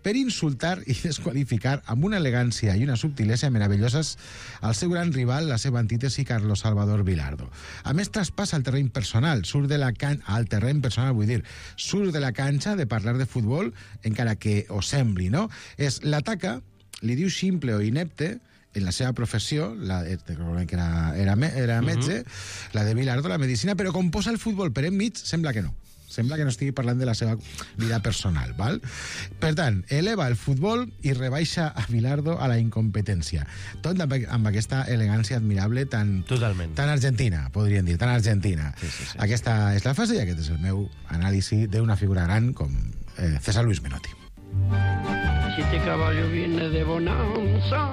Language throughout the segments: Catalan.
per insultar i desqualificar amb una elegància i una subtilesa meravelloses al seu gran rival, la seva antítesi, Carlos Salvador Vilardo. A més, traspassa el terreny personal, surt de la canxa de parlar de futbol, encara que ho sembli, no? L'ataca, li diu ximple o inepte, en la seva professió, que era metge, la de Vilardo, la medicina, però com posa el futbol per enmig, sembla que no. Sembla que no estigui parlant de la seva vida personal, val? Per tant, eleva el futbol i rebaixa a Vilardo a la incompetència. Tot amb aquesta elegància admirable tan argentina, podríem dir, tan argentina. Sí. Aquesta és la fase i aquest és el meu anàlisi d'una figura gran com César Luis Menotti. Si este caballo viene de bonanza.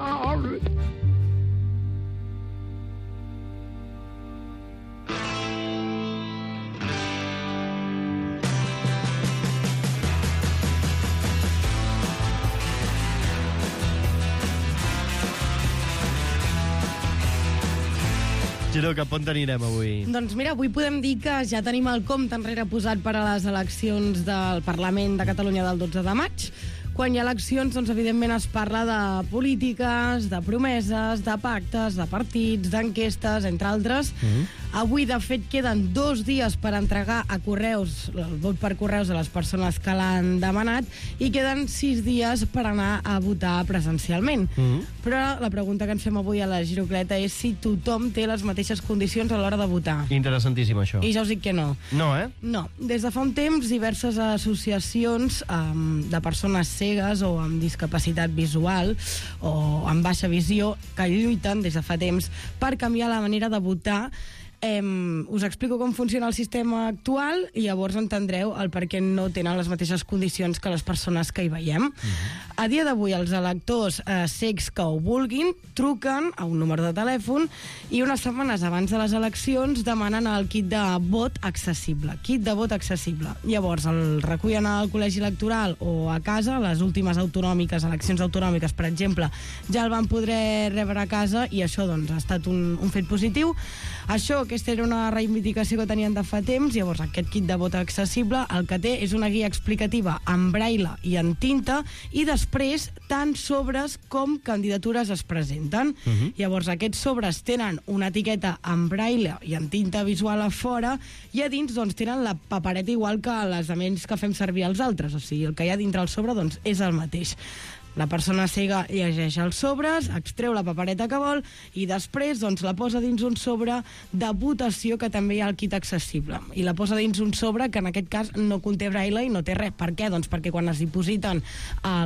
Giro, cap on anirem avui? Doncs mira, avui podem dir que ja tenim el compte enrere posat per a les eleccions del Parlament de Catalunya del 12 de maig. Quan hi ha eleccions, doncs, evidentment, es parla de polítiques, de promeses, de pactes, de partits, d'enquestes, entre altres. Avui, de fet, queden 2 dies per entregar a correus, el vot per correus a les persones que l'han demanat, i queden 6 dies per anar a votar presencialment. Però la pregunta que ens fem avui a la Girocleta és si tothom té les mateixes condicions a l'hora de votar. Interessantíssim, això. I ja us dic que no. No, No. Des de fa un temps, diverses associacions de persones cegues o amb discapacitat visual o amb baixa visió que lluiten des de fa temps per canviar la manera de votar. Us explico com funciona el sistema actual i llavors entendreu el per què no tenen les mateixes condicions que les persones que hi veiem. A dia d'avui, els electors cecs que ho vulguin truquen a un número de telèfon i unes setmanes abans de les eleccions demanen el kit de vot accessible. Kit de vot accessible. Llavors el recullen al col·legi electoral o a casa, les últimes autonòmiques, eleccions autonòmiques, per exemple, ja el van poder rebre a casa i això doncs, ha estat un fet positiu. Aquesta era una reivindicació que tenien de fa temps, llavors aquest kit de vot accessible el que té és una guia explicativa en braille i en tinta i després tant sobres com candidatures es presenten. Llavors aquests sobres tenen una etiqueta en braille i en tinta visual a fora i a dins doncs, tenen la papereta igual que les aments que fem servir els altres, o sigui, el que hi ha dintre el sobre doncs, és el mateix. La persona cega llegeix els sobres, extreu la papereta que vol i després doncs, la posa dins un sobre de votació que també hi ha al kit accessible. I la posa dins un sobre que en aquest cas no conté braille i no té res. Per què? Doncs perquè quan es dipositen a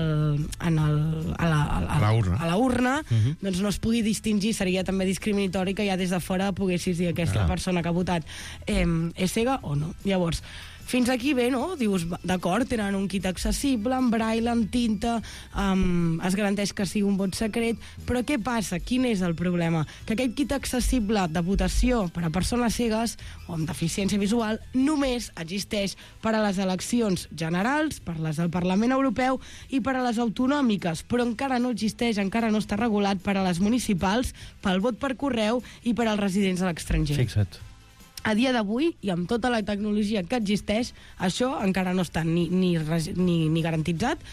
la urna doncs no es pugui distingir, seria també discriminatori que ja des de fora poguessis dir aquesta persona que ha votat és cega o no. Llavors, fins aquí bé, no? Dius, d'acord, tenen un kit accessible, en braille, en tinta, es garanteix que sigui un vot secret, però què passa? Quin és el problema? Que aquest kit accessible de votació per a persones cegues o amb deficiència visual només existeix per a les eleccions generals, per les del Parlament Europeu i per a les autonòmiques, però encara no existeix, encara no està regulat per a les municipals, pel vot per correu i per als residents a l'estranger. Fixa't. A dia d'avui, i amb tota la tecnologia que existeix, això encara no està ni garantitzat,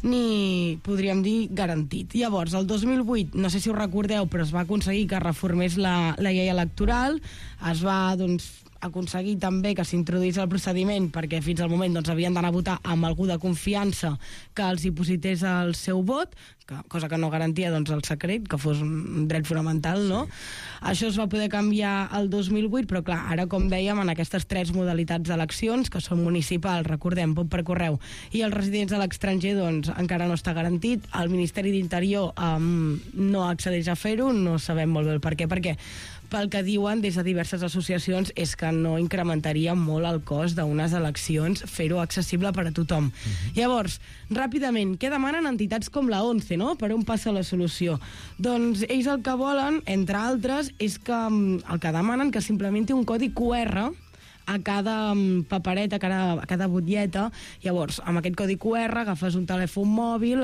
ni, podríem dir, garantit. Llavors, el 2008, no sé si ho recordeu, però es va aconseguir que reformés la llei electoral, es va, doncs, aconseguir també que s'introduís el procediment perquè fins al moment doncs, havien d'anar a votar amb algú de confiança que els diposités el seu vot, cosa que no garantia doncs, el secret, que fos un dret fonamental, no? Això es va poder canviar el 2008, però clar, ara com dèiem, en aquestes 3 modalitats d'eleccions, que són municipals, recordem, vot per correu, i els residents a l'estranger, doncs encara no està garantit. El Ministeri d'Interior no accedeix a fer-ho, no sabem molt bé el per què, perquè pel que diuen des de diverses associacions és que no incrementaria molt el cost d'unes eleccions fer-ho accessible per a tothom. Llavors, ràpidament, què demanen entitats com la ONCE, no? Per on passa la solució? Doncs ells el que volen, entre altres, és que el que demanen que s'implementi un codi QR a cada papereta, a cada butlleta. Llavors, amb aquest codi QR agafes un telèfon mòbil,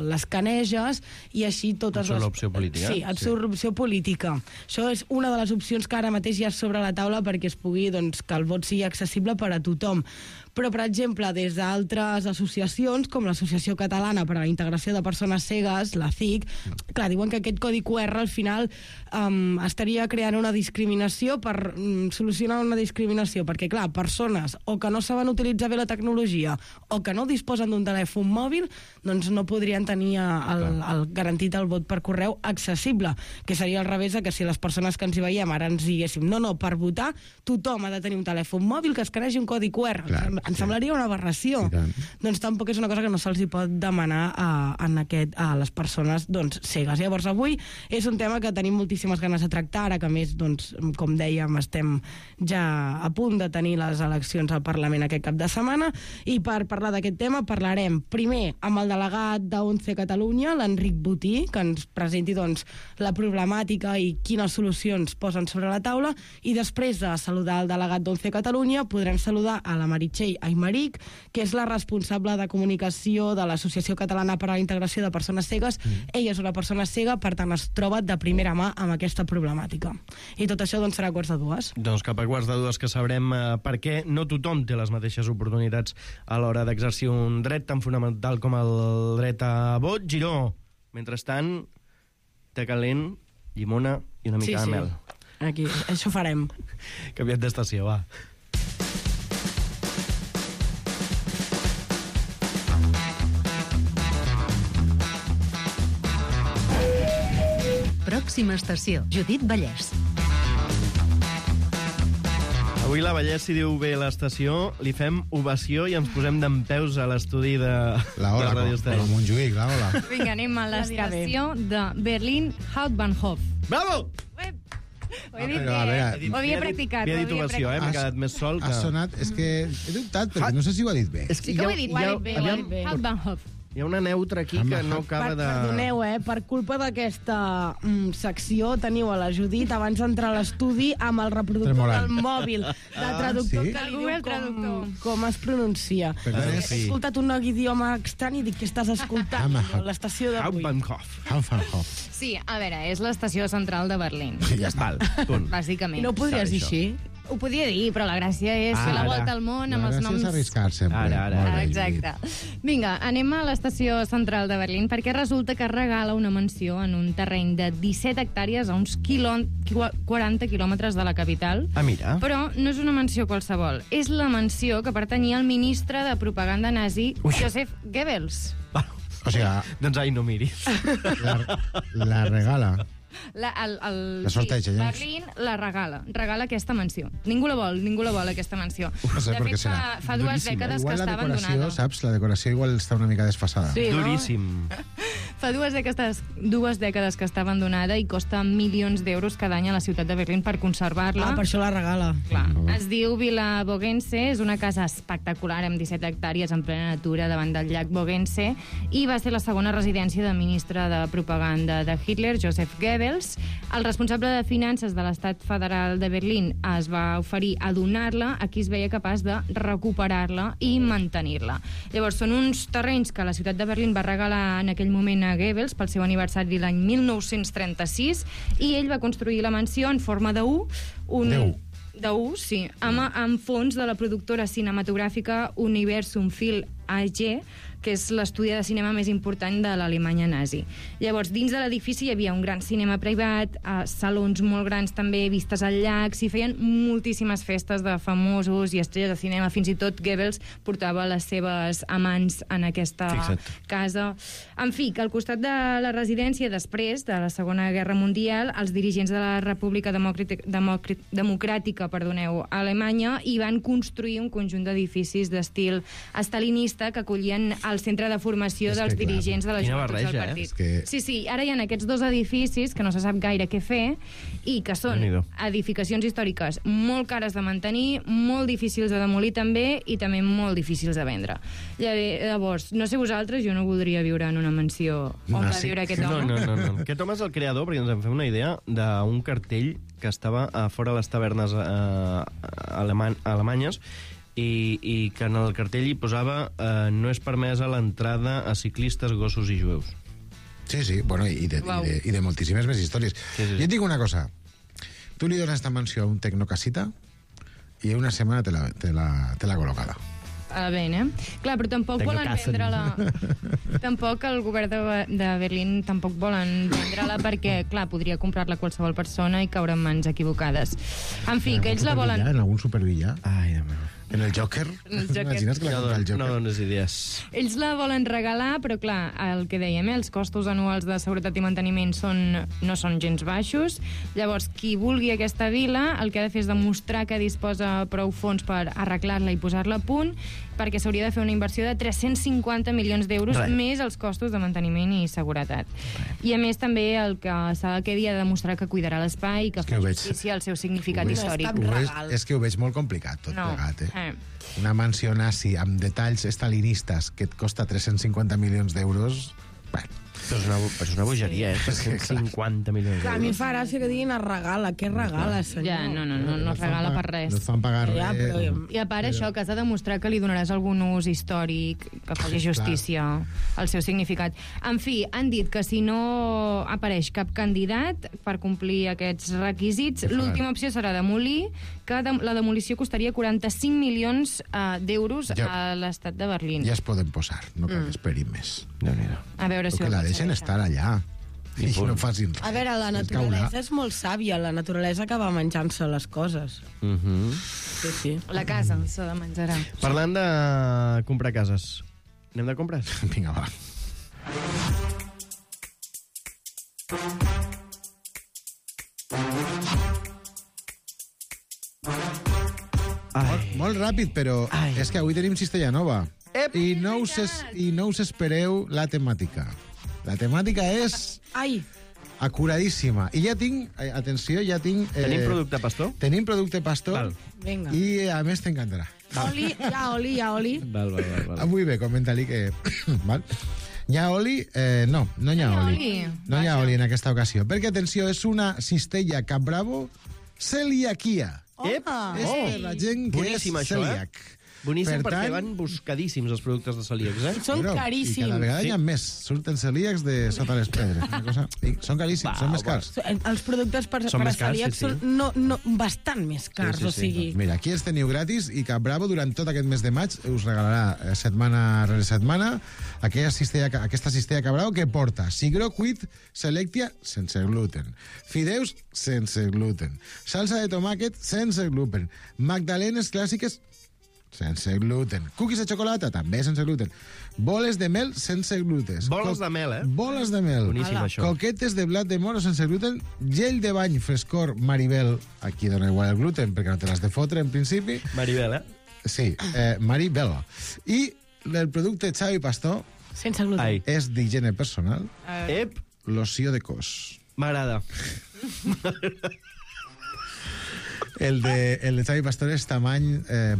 l'escaneges i així totes les... l'opció política. Sí, et surt l'opció política. Això és una de les opcions que ara mateix hi ha sobre la taula perquè es pugui, doncs, que el vot sigui accessible per a tothom. Però, per exemple, des d'altres associacions, com l'Associació Catalana per a la Integració de Persones Cegues, la CIC, clar, diuen que aquest codi QR al final estaria creant una discriminació per solucionar una discriminació, perquè, clar, persones o que no saben utilitzar bé la tecnologia o que no disposen d'un telèfon mòbil, doncs no podrien tenir el garantit el vot per correu accessible, que seria al revés de que si les persones que ens hi veiem ara ens diguéssim no, per votar tothom ha de tenir un telèfon mòbil que escanegi un codi QR. Clar, ens semblaria una aberració. Doncs tampoc és una cosa que no se'ls hi pot demanar a les persones cegues. Llavors avui és un tema que tenim moltíssimes ganes de tractar, ara que a més, com dèiem, estem ja a punt de tenir les eleccions al Parlament aquest cap de setmana, i per parlar d'aquest tema parlarem primer amb el delegat d'ONCE Catalunya, l'Enric Botí, que ens presenti la problemàtica i quines solucions posen sobre la taula, i després de saludar el delegat d'ONCE Catalunya podrem saludar a la Meritxell Aymeric, que és la responsable de comunicació de l'Associació Catalana per a la Integració de Persones Cegues. Ella és una persona cega, per tant es troba de primera mà amb aquesta problemàtica. I tot això serà a 1:45. Doncs cap a 1:45 que sabrem per què no tothom té les mateixes oportunitats a l'hora d'exercir un dret tan fonamental com el dret a vot. Giró, mentrestant, té calent, llimona i una mica de mel. Aquí, això farem. Canviat d'estació, va. Pròxima estació, Judit Vallès. Avui la Vallès, si diu bé l'estació, li fem ovació i ens posem d'empeus a l'estudi de Radio Estel. La Montjuïc, la Ola. Vinga, anem a l'estació de Berlin Hauptbahnhof. Bravo! Ho he dit bé, ho havia practicat. Havia dit ovació, m'he quedat més sol que... Ha sonat, és que he dubtat, perquè no sé si ho ha dit bé. Sí que ho he dit bé. Hauptbahnhof. Hi ha una neutra aquí que no acaba de... Perdoneu, per culpa d'aquesta secció teniu a la Judit abans d'entrar a l'estudi amb el reproductor del mòbil de traductor que li diu com es pronuncia. He escoltat un nou idioma estrany i dic que estàs escoltant l'estació d'avui. Hauptbahnhof. Sí, a veure, és l'estació central de Berlín. Ja està. Bàsicament. I no ho podries dir així? Ho podia dir, però la gràcia és fer la volta al món amb els noms... La gràcia és arriscar sempre. Exacte. Vinga, anem a l'estació central de Berlín perquè resulta que regala una mansió en un terreny de 17 hectàrees a uns 40 quilòmetres de la capital. Ah, mira. Però no és una mansió qualsevol. És la mansió que pertanyia al ministre de propaganda nazi, Joseph Goebbels. O sigui... Doncs ai, no miris. La regala. La sorteja, ja. Berlín la regala aquesta mansió. Ningú la vol, aquesta mansió. No sé per què serà. Fa 2 dècades que està abandonada. Igual la decoració, saps? La decoració igual està una mica desfasada. Sí, no? Duríssim. Fa 2 dècades que està abandonada i costa milions d'euros cada any a la ciutat de Berlín per conservar-la. Per això la regala. Clar. Es diu Villa Bogense, és una casa espectacular amb 17 hectàrees en plena natura davant del llac Bogense i va ser la segona residència del ministre de propaganda de Hitler, Joseph Goebbels. El responsable de finances de l'Estat Federal de Berlín es va oferir a donar-la a qui es veia capaç de recuperar-la i mantenir-la. Llavors, són uns terrenys que la ciutat de Berlín va regalar en aquell moment a Goebbels pel seu aniversari l'any 1936 i ell va construir la mansió en forma de U, sí, amb fons de la productora cinematogràfica Universum Film AG, que és l'estudi de cinema més important de l'Alemanya nazi. Llavors, dins de l'edifici hi havia un gran cinema privat, salons molt grans també, vistes al llac, s'hi feien moltíssimes festes de famosos i estrelles de cinema, fins i tot Goebbels portava les seves amants en aquesta casa. En fi, que al costat de la residència, després de la Segona Guerra Mundial, els dirigents de la República Democràtica Alemanya hi van construir un conjunt d'edificis d'estil estalinista que acollien el centre de formació dels dirigents de la joventut del partit. Sí, ara hi ha aquests 2 edificis que no se sap gaire què fer i que són edificacions històriques molt cares de mantenir, molt difícils de demolir també i també molt difícils de vendre. Llavors, no sé vosaltres, jo no voldria viure en una mansió on va viure aquest home. No. Aquest home és el creador, perquè ens en fem una idea, d'un cartell que estava a fora de les tavernes alemanyes i que en el cartell hi posava no és permesa l'entrada a ciclistes, gossos i jueus. Sí, bueno, i de moltíssimes més històries. Sí. Jo et dic una cosa. Tu li dones esta mansió a un tecnocasita i una setmana te la col·locada. a Bene. Clar, però tampoc Tengo volen casen. vendre-la... Tampoc el govern de Berlín tampoc volen vendre-la perquè, clar, podria comprar-la qualsevol persona i caure en mans equivocades. En fi, que ells la volen... En algun supervillà. Ai, Déu meu. En el Joker. El Joker. Imagines que la compra el Joker? No dones idees. Ells la volen regalar, però clar, el que dèiem, els costos anuals de seguretat i manteniment no són gens baixos. Llavors, qui vulgui aquesta vila, el que ha de fer és demostrar que disposa prou fons per arreglar-la i posar-la a punt, perquè s'hauria de fer una inversió de 350 milions d'euros, més els costos de manteniment i seguretat. I a més, també el que s'ha de dir ha de demostrar que cuidarà l'espai i que fa justícia al seu significat històric. És que ho veig molt complicat, tot plegat, eh? Eh. Una mansió nazi amb detalls estalinistes que et costa 350 milions d'euros... Bueno, Però és una bogeria, eh? 350 milions Clar, a mi em d'euros. fa gràcia que diguin es regala. Què regala, senyor? Ja, no es regala per res. no et fan pagar Ja, res. però- I a part això, que has de demostrar que li donaràs algun ús històric, que faci justícia al seu significat. En fi, han dit que si no apareix cap candidat per complir aquests requisits, l'última opció serà demolir, que la demolició costaria 45 milions d'euros a l'estat de Berlín. Ja es poden posar, no cal que esperin més. Déu-n'hi-do. A veure si Que la deixen estar allà. I no facin res. A veure, la naturalesa és molt sàvia. La naturalesa acaba menjant-se les coses. Sí, sí. La casa se la menjarà. Parlant de comprar cases, anem de compres? Vinga, va. Molt ràpid, però és que avui tenim cistella nova. I no us espereu la temàtica. La temàtica és Ai, acuradíssima. I ja tinc, atenció, ja tinc... Tenim producte pastor? Tenim producte pastor. Val. vinga. I a més t'encantarà. Oli, hi ha oli. Val. Avui bé, comenta-li que... Val? Hi ha oli? No hi ha oli. No hi ha oli en aquesta ocasió. Perquè, atenció, és una cistella Capbravo celiaquia. Ep! És per la gent que Boníssim, és això, celíac. Boníssim, Per perquè tant- van buscadíssims els productes de celíacs, eh? Són Bueno, I caríssims. cada vegada hi ha més. Surten celíacs de sota les pedres. Una cosa... I són caríssims, són més cars. Els productes per Són a més cars, celíacs sí, sí. són bastant més cars, o sigui... Mira, aquí els teniu gratis i Capbravo durant tot aquest mes de maig us regalarà setmana rere setmana aquesta cistella Capbravo que porta cigró cuit Selectia sense gluten, fideus sense gluten, salsa de tomàquet sense gluten, magdalenes clàssiques sense gluten, cookies de xocolata també sense gluten, boles de mel sense gluten. Boles de mel, eh? Boles de mel. Boníssim, això. Coquetes de blat de moro sense gluten, gel de bany frescor Maribel, aquí dona igual el gluten perquè no te l'has de fotre en principi. Maribel, eh? Sí, Maribel. I el producte Xavi Pastor Sense gluten. Ai. és d'higiene personal, Ep, loció de cos. m'agrada. El de Xavi Pastor és tamany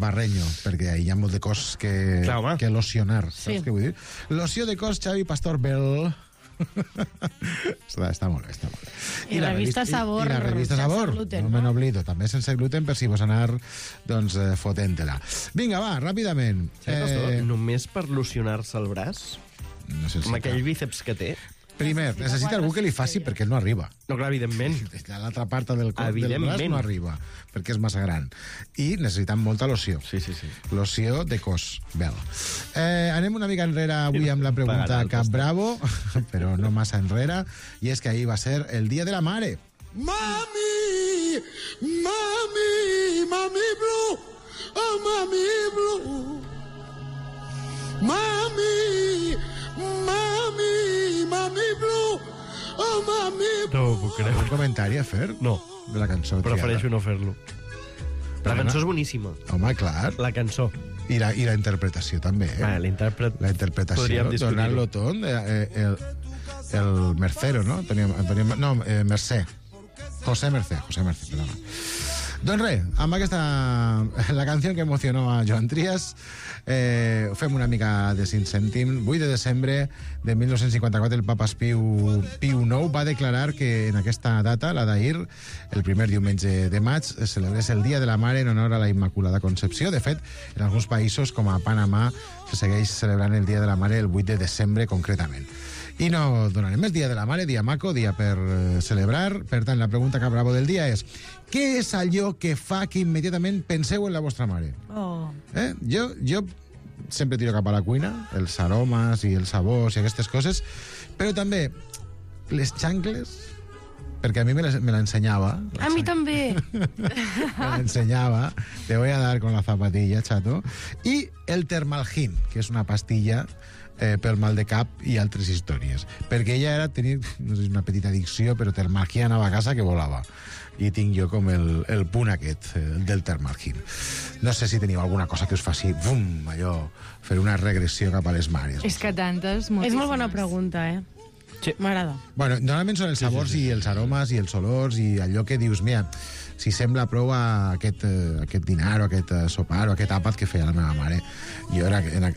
barreño, perquè hi ha molt de cos que locionar, saps què vull dir? Loció de cos Xavi Pastor Bell. està molt bé, està molt bé. I la revista Sabor, I la revista sense Sabor, gluten, no no? me n'oblido, també sense gluten per si vos anar doncs, fotent-la. Vinga, va, ràpidament. Només per locionar-se el braç, Necessita. amb aquell bíceps que té. Primer, necessita algú que li faci perquè no arriba. No, clar, evidentment. L'altra part del braç Evidentment. no arriba, perquè és massa gran. I necessitem molta loció. Sí. Loció de cos, Bel. Anem una mica enrere avui amb la pregunta Capbravo, però no massa enrere, i és que ahir va ser el Dia de la Mare. Mami! Mami! Mami Blue! Oh, Mami Blue! Mami! Mami! Mami Blue! Oh, Mami Blue! No ho puc creure. Un comentari a fer? No. De la cançó. Prefereixo no fer-lo. La cançó és boníssima. Home, clar. La cançó. I la interpretació també, eh? L'intèrpret... La interpretació, Podríem discutir-ho. donant-lo tot, el Mercero, no? Mercè. José Mercè, perdona. Doncs res, amb aquesta... La canció que emocionó a Joan Trias, fem una mica de 5 cèntims. 8 de desembre de 1954 el papa Piu IX va declarar que en aquesta data, la d'ahir, el primer diumenge de maig, es celebrés el Dia de la Mare en honor a la Immaculada Concepció. De fet, en alguns països, com a Panamà, se segueix celebrant el Dia de la Mare el 8 de desembre, concretament. I no donarem més Dia de la Mare, dia maco, dia per celebrar. Per tant, la pregunta Capbravo del dia és: què és allò que fa que immediatament penseu en la vostra mare? Oh. Jo sempre tiro cap a la cuina, els aromes i els sabors i aquestes coses, però també les xancles, perquè a mi me l'ensenyava. A mi també. Me l'ensenyava. Te voy a dar con la zapatilla, chato. I el Termalgin, que és una pastilla pel mal de cap i altres històries. Perquè ella tenia, no sé si una petita addicció, però Termalgin anava a casa que volava. I tinc jo com el punt aquest, del Termalgin. No sé si teniu alguna cosa que us faci, bum, allò, fer una regressió cap a les mares. És que tantes, moltíssimes. És molt bona pregunta, Sí. M'agrada. Bueno, normalment són els sabors i els aromes i els olors i allò que dius, mira, si sembla prou a aquest dinar o aquest sopar o aquest àpat que feia la meva mare.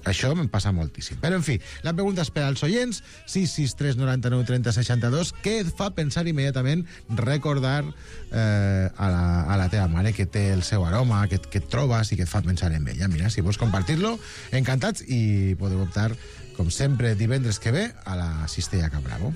Això me'n passa moltíssim. Però, en fi, la pregunta és per als oients, 663 99 30 62, què et fa pensar immediatament recordar a la teva mare que té el seu aroma, que et trobes i que et fa pensar en ella. Mira, si vols compartir-lo, encantats, i podeu optar, com sempre, divendres que ve, a la Cistella Cap Bravo.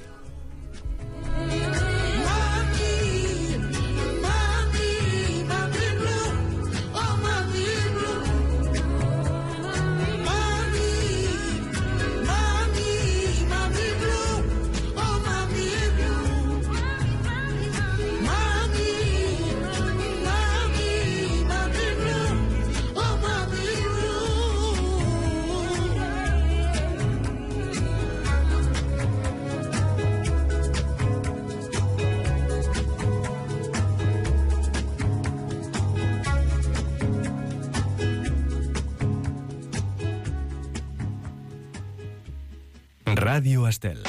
Ràdio Estel.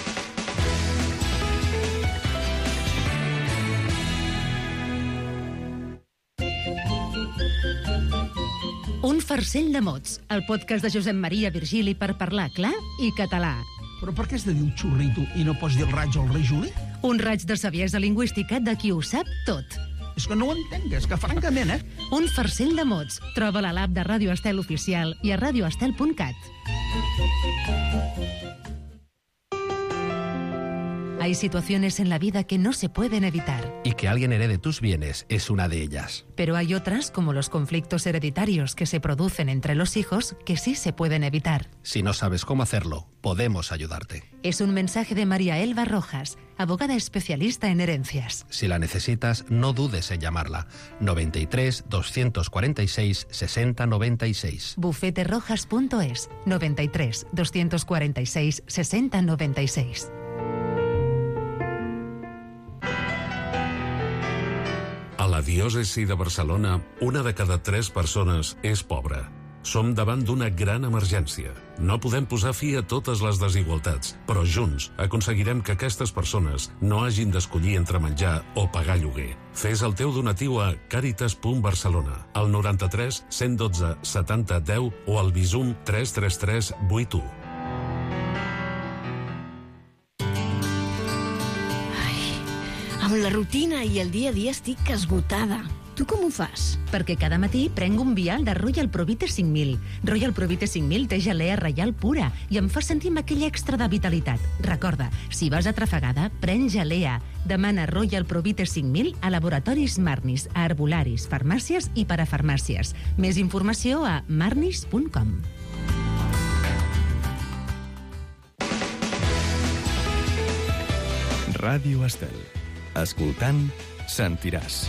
Un farcell de mots, el podcast de Josep Maria Virgili per parlar clar i català. Però per què has de dir un xurrito i no pots dir el raig o el rei Juli? Un raig de saviesa lingüística de qui ho sap tot. És que no ho entenc, és que francament, Un farcell de mots. Troba-la a l'app de Ràdio Estel Oficial i a radioestel.cat. Hay situaciones en la vida que no se pueden evitar. Y que alguien herede tus bienes es una de ellas. Pero hay otras, como los conflictos hereditarios que se producen entre los hijos, que sí se pueden evitar. Si no sabes cómo hacerlo, podemos ayudarte. Es un mensaje de María Elba Rojas, abogada especialista en herencias. Si la necesitas, no dudes en llamarla. 93 246 60 96. Bufeterrojas.es 93 246 60 96. A la diòcesi de Barcelona, 1 de cada 3 persones és pobra. Som davant d'una gran emergència. No podem posar fi a totes les desigualtats, però junts aconseguirem que aquestes persones no hagin d'escollir entre menjar o pagar lloguer. Fes el teu donatiu a caritas.barcelona, al 93 112 70 10 o al Bizum 333 81. Amb la rutina i el dia a dia estic esgotada. Tu com ho fas? Perquè cada matí prenc un vial de Royal Provite 5000. Royal Provite 5000 té gelea reial pura i em fa sentir amb aquell extra de vitalitat. Recorda, si vas atrafegada, pren gelea. Demana Royal Provite 5000 a laboratoris Marnis, a herbolaris, farmàcies i parafarmàcies. Més informació a marnis.com. Ràdio Estel. Escoltant, sentiràs.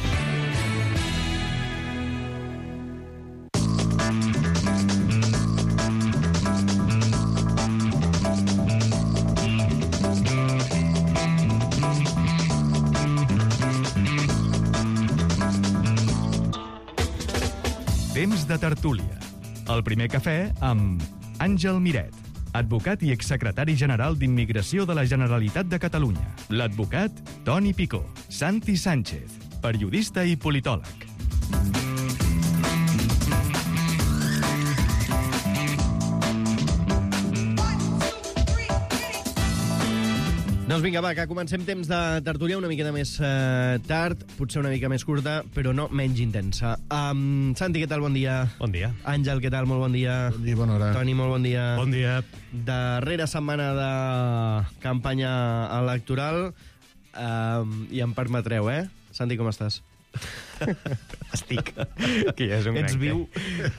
Temps de tertúlia. El primer cafè amb Àngel Miret, advocat i exsecretari general d'Immigració de la Generalitat de Catalunya. L'advocat Toni Picó. Santi Sánchez, periodista i politòleg. Doncs vinga, va, que comencem temps de tertúlia una miqueta més tard, potser una mica més curta, però no menys intensa. Santi, què tal? Bon dia. Bon dia. Àngel, què tal? Molt bon dia. Bon dia, bona hora. Toni, molt bon dia. Bon dia. Darrera setmana de campanya electoral, i em permetreu, Santi, com estàs? Estic. Que ja és un Ets gran viu?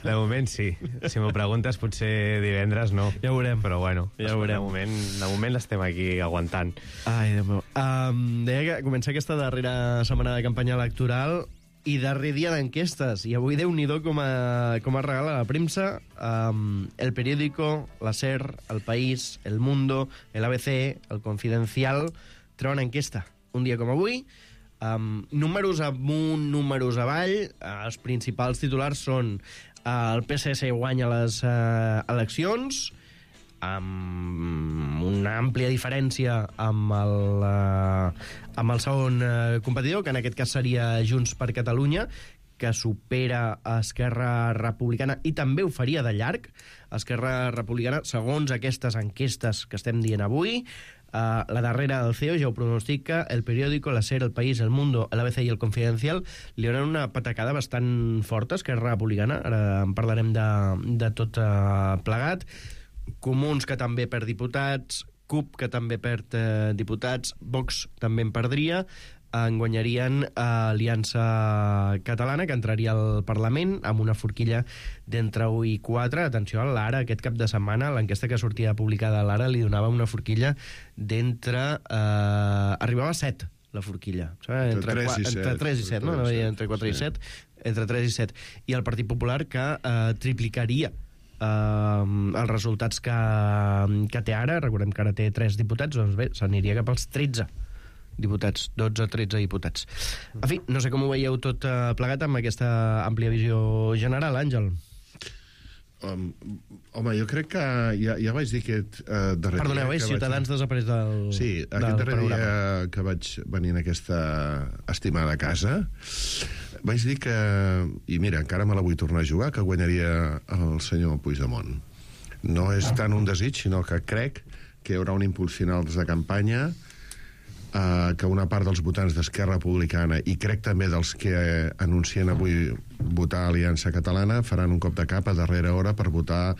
De moment sí. Si m'ho preguntes, potser divendres no. Ja ho veurem. Però bueno, ja ho veurem. De moment estem aquí aguantant. Ai, Déu meu. Deia que comença aquesta darrera setmana de campanya electoral i darrer dia d'enquestes. I avui, Déu-n'hi-do, com a regala la premsa, El Periódico, la SER, El País, El Mundo, el ABC, El Confidencial, treuen enquesta. Un dia com avui, números amunt, números avall, els principals titulars són el PSC guanya les eleccions, amb una àmplia diferència amb el segon competidor, que en aquest cas seria Junts per Catalunya, que supera Esquerra Republicana i també ho faria de llarg. Esquerra Republicana, segons aquestes enquestes que estem dient avui, la darrera del CEO ja ho pronostica, El Periódico, la SER, El País, El Mundo, l'ABC i El Confidencial li donen una patacada bastant forta a Esquerra Republicana. Ara en parlarem de tot plegat. Comuns, que també perd diputats, CUP, que també perd diputats, Vox també en perdria, en guanyarien Aliança Catalana, que entraria al Parlament amb una forquilla d'entre 1 i 4. Atenció, a l'Ara, aquest cap de setmana, l'enquesta que sortia publicada a l'Ara li donava una forquilla d'entre... arribava a 7, la forquilla. Entre 3 i 7, no? Entre 4 i 7. Entre 3 i 7. I el Partit Popular, que triplicaria els resultats que té ara. Recordem que ara té 3 diputats, doncs bé, s'aniria cap als 13 diputats, 12-13 diputats. En fi, no sé com ho veieu tot plegat amb aquesta àmplia visió general, Àngel. Home, jo crec que ja vaig dir aquest darrer Perdoneu, dia... Ciutadans desapareix del Sí, aquest darrer dia que vaig venir en aquesta estimada casa, vaig dir que, i mira, encara me la vull tornar a jugar, que guanyaria el senyor Puigdemont. No és tant un desig, sinó que crec que hi haurà un impuls final des de campanya, que una part dels votants d'Esquerra Republicana, i crec també dels que anuncien avui votar Aliança Catalana, faran un cop de cap a darrera hora per votar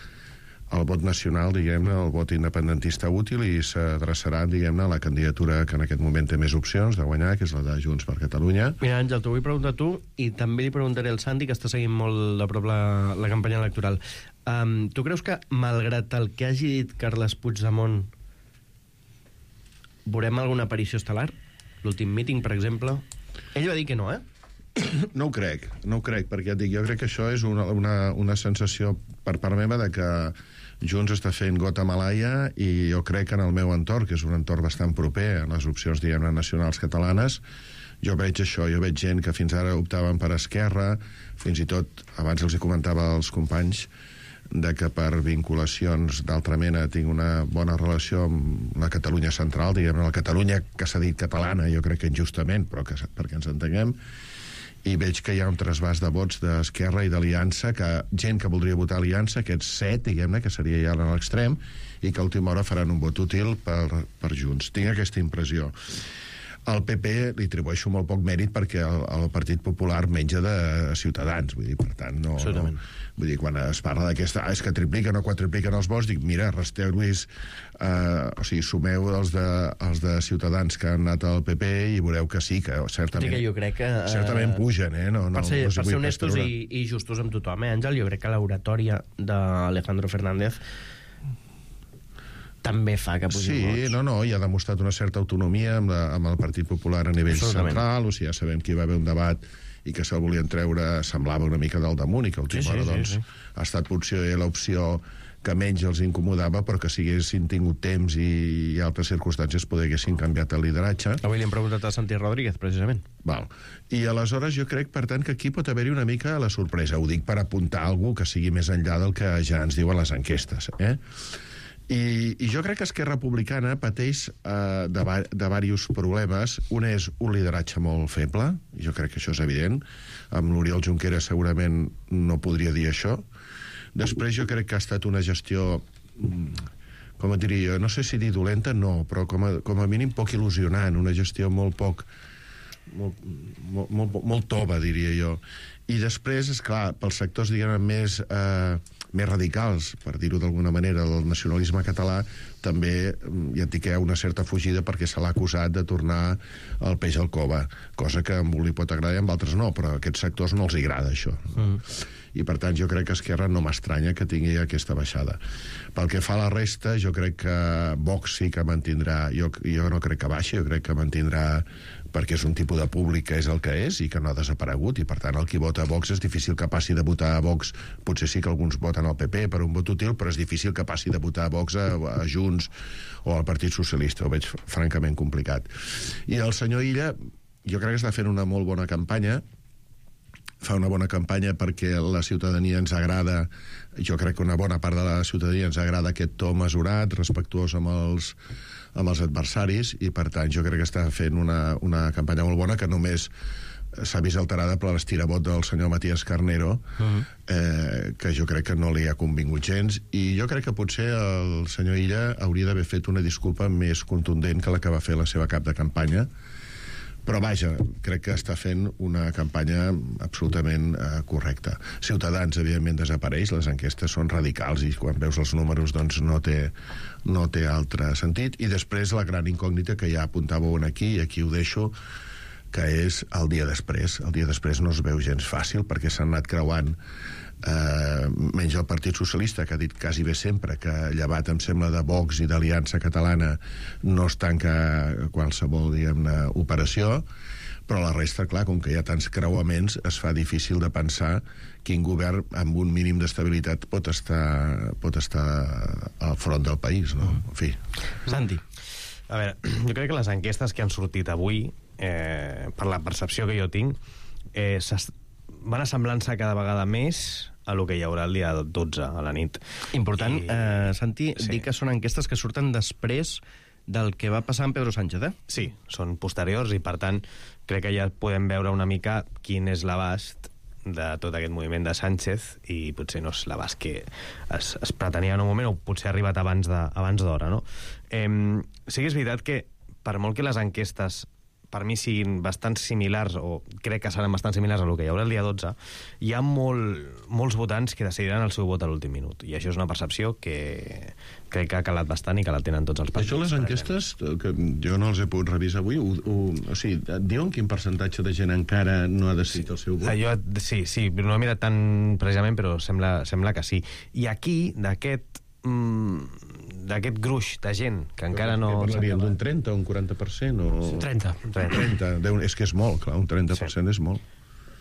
el vot nacional, diguem-ne, el vot independentista útil, i s'adreçaran, diguem-ne, a la candidatura que en aquest moment té més opcions de guanyar, que és la de Junts per Catalunya. Mira, Àngel, t'ho vull preguntar a tu, i també li preguntaré al Santi, que està seguint molt de prop la campanya electoral. Tu creus que, malgrat el que hagi dit Carles Puigdemont, veurem alguna aparició estel·lar? L'últim míting, per exemple? Ell va dir que no, No ho crec, perquè et dic, jo crec que això és una sensació per part meva de que Junts està fent gota malaia, i jo crec que en el meu entorn, que és un entorn bastant proper a les opcions, diguem-ne, nacionals catalanes, jo veig això, jo veig gent que fins ara optaven per Esquerra, fins i tot, abans els hi comentava als companys, de que per vinculacions d'altra mena tinc una bona relació amb la Catalunya central, diguem-ne, la Catalunya que s'ha dit catalana, jo crec que injustament, però perquè ens entenguem, i veig que hi ha un trasbàs de vots d'Esquerra i d'Aliança, que gent que voldria votar Aliança, aquests 7, diguem-ne, que seria ja a l'extrem, i que a última hora faran un vot útil per Junts. Tinc aquesta impressió. Al PP li atribueixo molt poc mèrit perquè el Partit Popular menja de Ciutadans, vull dir, per tant, no... Vull dir, quan es parla d'aquesta... és que tripliquen o quadripliquen els vots, dic, mira, resteu-los... o sigui, sumeu els de Ciutadans que han anat al PP i veureu que sí, que certament... Que jo crec que... certament pugen, No, per ser honestos i justos amb tothom, Àngel, jo crec que l'oratòria d'Alejandro Fernández també fa que pugi vots. Sí, no, i ha demostrat una certa autonomia amb el Partit Popular a nivell central, o sigui, ja sabem que hi va haver un debat i que se'l volien treure, semblava una mica del damunt, i que a última hora, doncs, ha estat potser l'opció que menys els incomodava, però que si haguessin tingut temps i altres circumstàncies haguessin canviat el lideratge. Avui li hem preguntat a Santi Rodríguez, precisament. Val. I aleshores jo crec, per tant, que aquí pot haver-hi una mica la sorpresa. Ho dic per apuntar algú que sigui més enllà del que ja ens diuen les enquestes, I jo crec que Esquerra Republicana pateix de diversos problemes. Un és un lideratge molt feble, i jo crec que això és evident. Amb l'Oriol Junqueras segurament no podria dir això. Després jo crec que ha estat una gestió, com et diria, no sé si dir dolenta, no, però com a mínim poc il·lusionant, una gestió molt tova, diria jo. I després, esclar, pels sectors, diguem, més radicals, per dir-ho d'alguna manera, del nacionalisme català, també ja et dic que hi ha una certa fugida perquè se l'ha acusat de tornar el peix al cove, cosa que a un li pot agradar i a altres no, però a aquests sectors no els agrada això. I per tant jo crec que Esquerra no m'estranya que tingui aquesta baixada. Pel que fa a la resta, jo crec que Vox sí que mantindrà, jo no crec que baixi, jo crec que mantindrà, perquè és un tipus de públic que és el que és i que no ha desaparegut, i per tant el qui vota a Vox és difícil que passi de votar a Vox, potser sí que alguns voten al PP per un vot útil, però és difícil que passi de votar a Vox a Junts o al Partit Socialista, ho veig francament complicat. I el senyor Illa, jo crec que està fent una molt bona campanya, fa una bona campanya perquè la ciutadania ens agrada, jo crec que una bona part de la ciutadania ens agrada aquest to mesurat, respectuós amb els adversaris, i per tant jo crec que està fent una campanya molt bona que només s'ha vist alterada per l'estirabot del senyor Matías Carnero, que jo crec que no li ha convingut gens, i jo crec que potser el senyor Illa hauria d'haver fet una disculpa més contundent que la que va fer la seva cap de campanya. Però vaja, crec que està fent una campanya absolutament correcta. Ciutadans, evidentment, desapareix, les enquestes són radicals i quan veus els números doncs no té altre sentit. I després la gran incògnita que ja apuntàveu aquí, i aquí ho deixo, que és el dia després. El dia després no es veu gens fàcil perquè s'han anat creuant menys el Partit Socialista, que ha dit quasi bé sempre que llevat, em sembla, de Vox i d'Aliança Catalana no es tanca qualsevol, diguem-ne, operació, però la resta, clar, com que hi ha tants creuaments, es fa difícil de pensar quin govern amb un mínim d'estabilitat pot estar al front del país, no? En fi. Santi. A veure, jo crec que les enquestes que han sortit avui, per la percepció que jo tinc, van assemblant-se cada vegada més a lo que hi haurà el dia 12 a la nit. Important, Santi, sí. Dir que són enquestes que surten després del que va passar amb Pedro Sánchez, Sí, són posteriors i, per tant, crec que ja podem veure una mica quin és l'abast de tot aquest moviment de Sánchez, i potser no és l'abast que es pretenia en un moment, o potser ha arribat abans d'hora, no? Sí que és veritat que, per molt que les enquestes per mi siguin bastant similars, o crec que seran bastant similars a lo que hi haurà el dia 12, hi ha molts votants que decidiran el seu vot a l'últim minut, i això és una percepció que crec que ha calat bastant i que la tenen tots els partits. Això les enquestes, que jo no els he pogut revisar avui, o sigui, diuen quin percentatge de gent encara no ha decidit el seu vot? Sí, no he mirat tant precisament, però sembla que sí. I aquí, d'aquest gruix de gent que encara no... Parlaríem d'un 30 o un 40%? O... 30. És que és molt, clar, un 30% és molt.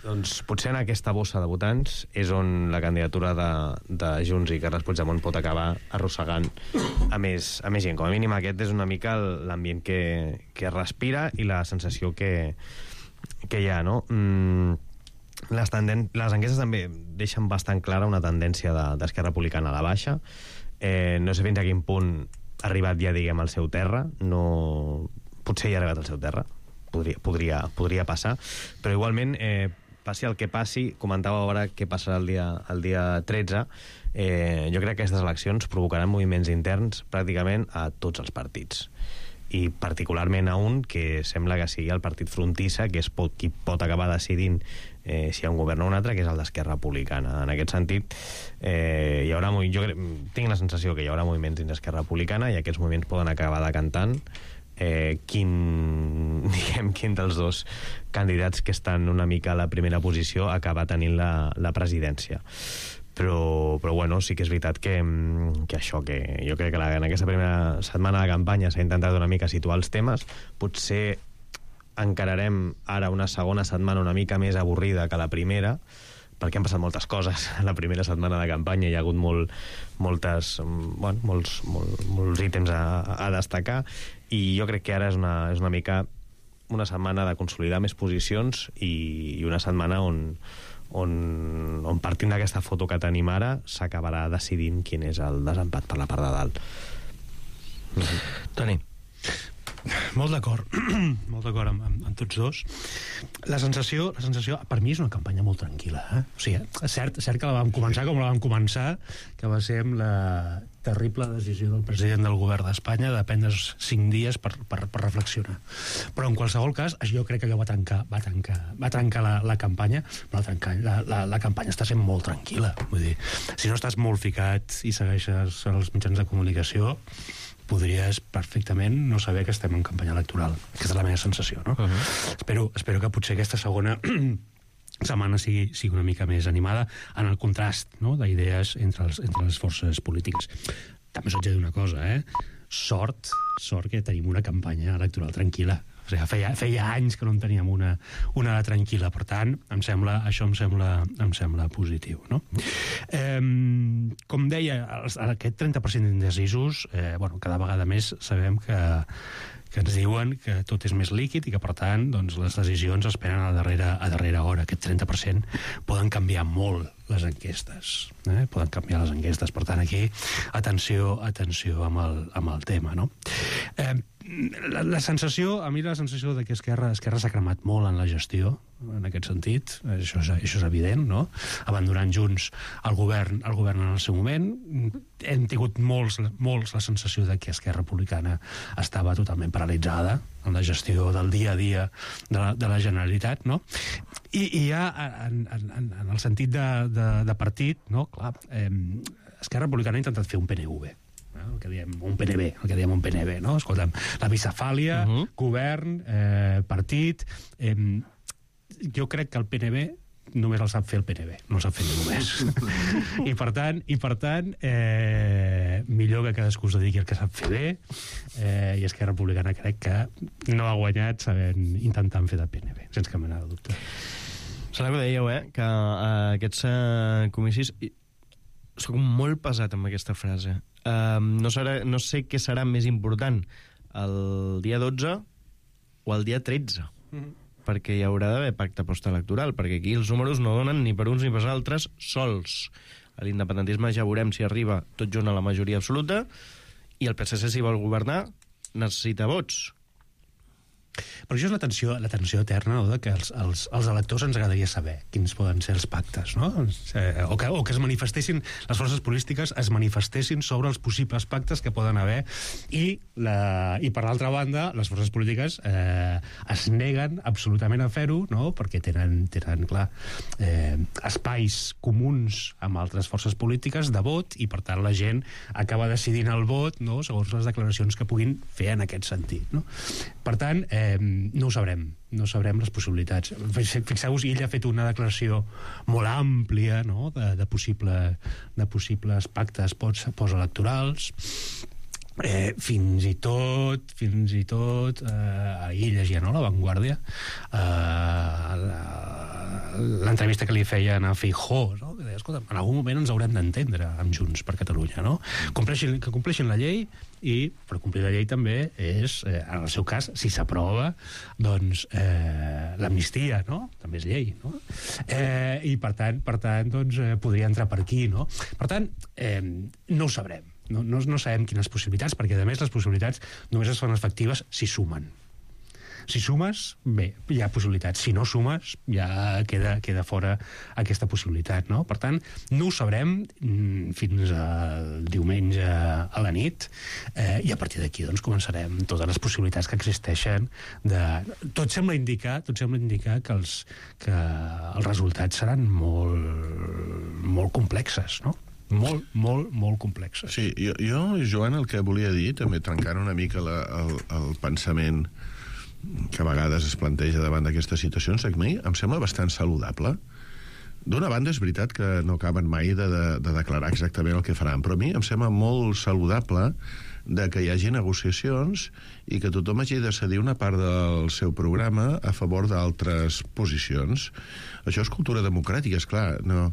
Doncs potser en aquesta bossa de votants és on la candidatura de Junts i Carles Puigdemont pot acabar arrossegant a més gent. Com a mínim aquest és una mica l'ambient que respira i la sensació que hi ha, no? Les enquestes també deixen bastant clara una tendència d'Esquerra Republicana a la baixa. No sé fins a quin punt ha arribat ja, diguem, al seu terra. Potser ja ha arribat al seu terra, podria passar, però igualment, passi el que passi, comentava ara què passarà el dia 13, jo crec que aquestes eleccions provocaran moviments interns pràcticament a tots els partits, i particularment a un que sembla que sigui el partit frontissa, que és qui pot acabar decidint si hi ha un govern o un altre, que és el d'Esquerra Republicana. En aquest sentit, jo tinc la sensació que hi haurà moviments dins d'Esquerra Republicana, i aquests moviments poden acabar decantant quin dels dos candidats que estan una mica a la primera posició acaba tenint la presidència. Però bueno, sí que és veritat que això, que jo crec que en aquesta primera setmana de campanya s'ha intentat una mica situar els temes. Potser encararem ara una segona setmana una mica més avorrida que la primera, perquè han passat moltes coses a la primera setmana de campanya, hi ha hagut molts ítems a destacar, i jo crec que ara és una mica una setmana de consolidar més posicions i una setmana on partint d'aquesta foto que tenim ara s'acabarà decidint quin és el desempat per la part de dalt. Toni. Molt d'acord amb tots dos. La sensació per mi és una campanya molt tranquil·la, O sigui, és cert que la vam començar com la vam començar, que va ser amb la terrible decisió del president del govern d'Espanya de prendre's 5 dies per reflexionar. Però en qualsevol cas, jo crec que allò va trencar la campanya, però la campanya està sent molt tranquil·la. Vull dir, si no estàs molt ficat i segueixes els mitjans de comunicació, podries perfectament no saber que estem en campanya electoral. Aquesta és la meva sensació, no? Espero que potser aquesta segona setmana sigui una mica més animada en el contrast, no?, d'idees entre les forces polítiques. També us haig de dir una cosa, sort que tenim una campanya electoral tranquil·la. O sigui, feia anys que no en teníem una tranquil·la, per tant, això em sembla positiu, no? Com deia, aquest 30% d'indecisos, cada vegada més sabem que ens diuen que tot és més líquid i que, per tant, doncs, les decisions es prenen a darrera hora. Aquest 30% poden canviar molt les enquestes. Poden canviar les enquestes. Per tant, aquí, atenció amb el tema, no? La sensació de que Esquerra s'ha cremat molt en la gestió, en aquest sentit, això és evident, no? Abandonant Junts el govern en el seu moment, hem tingut molts la sensació de que Esquerra Republicana estava totalment paralitzada en la gestió del dia a dia de la Generalitat, no? I ja en el sentit de partit, no? Clar, Esquerra Republicana ha intentat fer un PNV, el que diem un PNB, no? Escolta'm, la bicefàlia, govern, partit... Jo crec que el PNB només el sap fer el PNB, no el sap fer ningú més. I per tant, millor que cadascú es dediqui al que sap fer bé, i Esquerra Republicana crec que no ha guanyat intentant fer de PNB, sense cap mena de dubte. Sembla que dèieu, que aquests comicis... Soc molt pesat amb aquesta frase. No sé què serà més important, el dia 12 o el dia 13. Perquè hi haurà d'haver pacte postelectoral, perquè aquí els números no donen ni per uns ni per altres sols. A l'independentisme ja veurem si arriba tot junt a la majoria absoluta, i el PSC, si vol governar, necessita vots. Però això és la tensió eterna, no?, de que els electors ens agradaria saber quins poden ser els pactes, no? O que es manifestessin, les forces polítiques es manifestessin sobre els possibles pactes que poden haver, i per l'altra banda, les forces polítiques es neguen absolutament a fer-ho, no?, perquè tenen clar, espais comuns amb altres forces polítiques de vot, i per tant la gent acaba decidint el vot, no?, segons les declaracions que puguin fer en aquest sentit, no? Per tant, no ho sabrem les possibilitats. Fixeu-vos, ell ha fet una declaració molt àmplia, no?, de possibles pactes postelectorals. Fins i tot ahir llegia, no?, La Vanguardia, l'entrevista que li feien a Feijóo, no?, que deia, escolta, en algun moment ens haurem d'entendre amb Junts per Catalunya, no? Que compleixin la llei, i per complir la llei també és, en el seu cas, si s'aprova, doncs l'amnistia, no? També és llei, no? I per tant, doncs, podria entrar per aquí, no? Per tant, no ho sabrem. No sabem quines possibilitats, perquè a més les possibilitats només es fan efectives si sumen. Si sumes, bé, hi ha possibilitats. Si no sumes, ja queda fora aquesta possibilitat, no? Per tant, no ho sabrem fins al diumenge a la nit, i a partir d'aquí doncs, començarem totes les possibilitats que existeixen. Tot sembla indicar que els resultats seran molt complexes, no? Molt complexes. Sí, jo, Joan, el que volia dir, també trencant una mica el pensament que a vegades es planteja davant d'aquestes situacions, que a mi em sembla bastant saludable. D'una banda, és veritat que no acaben mai de declarar exactament el que faran, però a mi em sembla molt saludable de que hi hagi negociacions i que tothom hagi de cedir una part del seu programa a favor d'altres posicions. Això és cultura democràtica, esclar. No,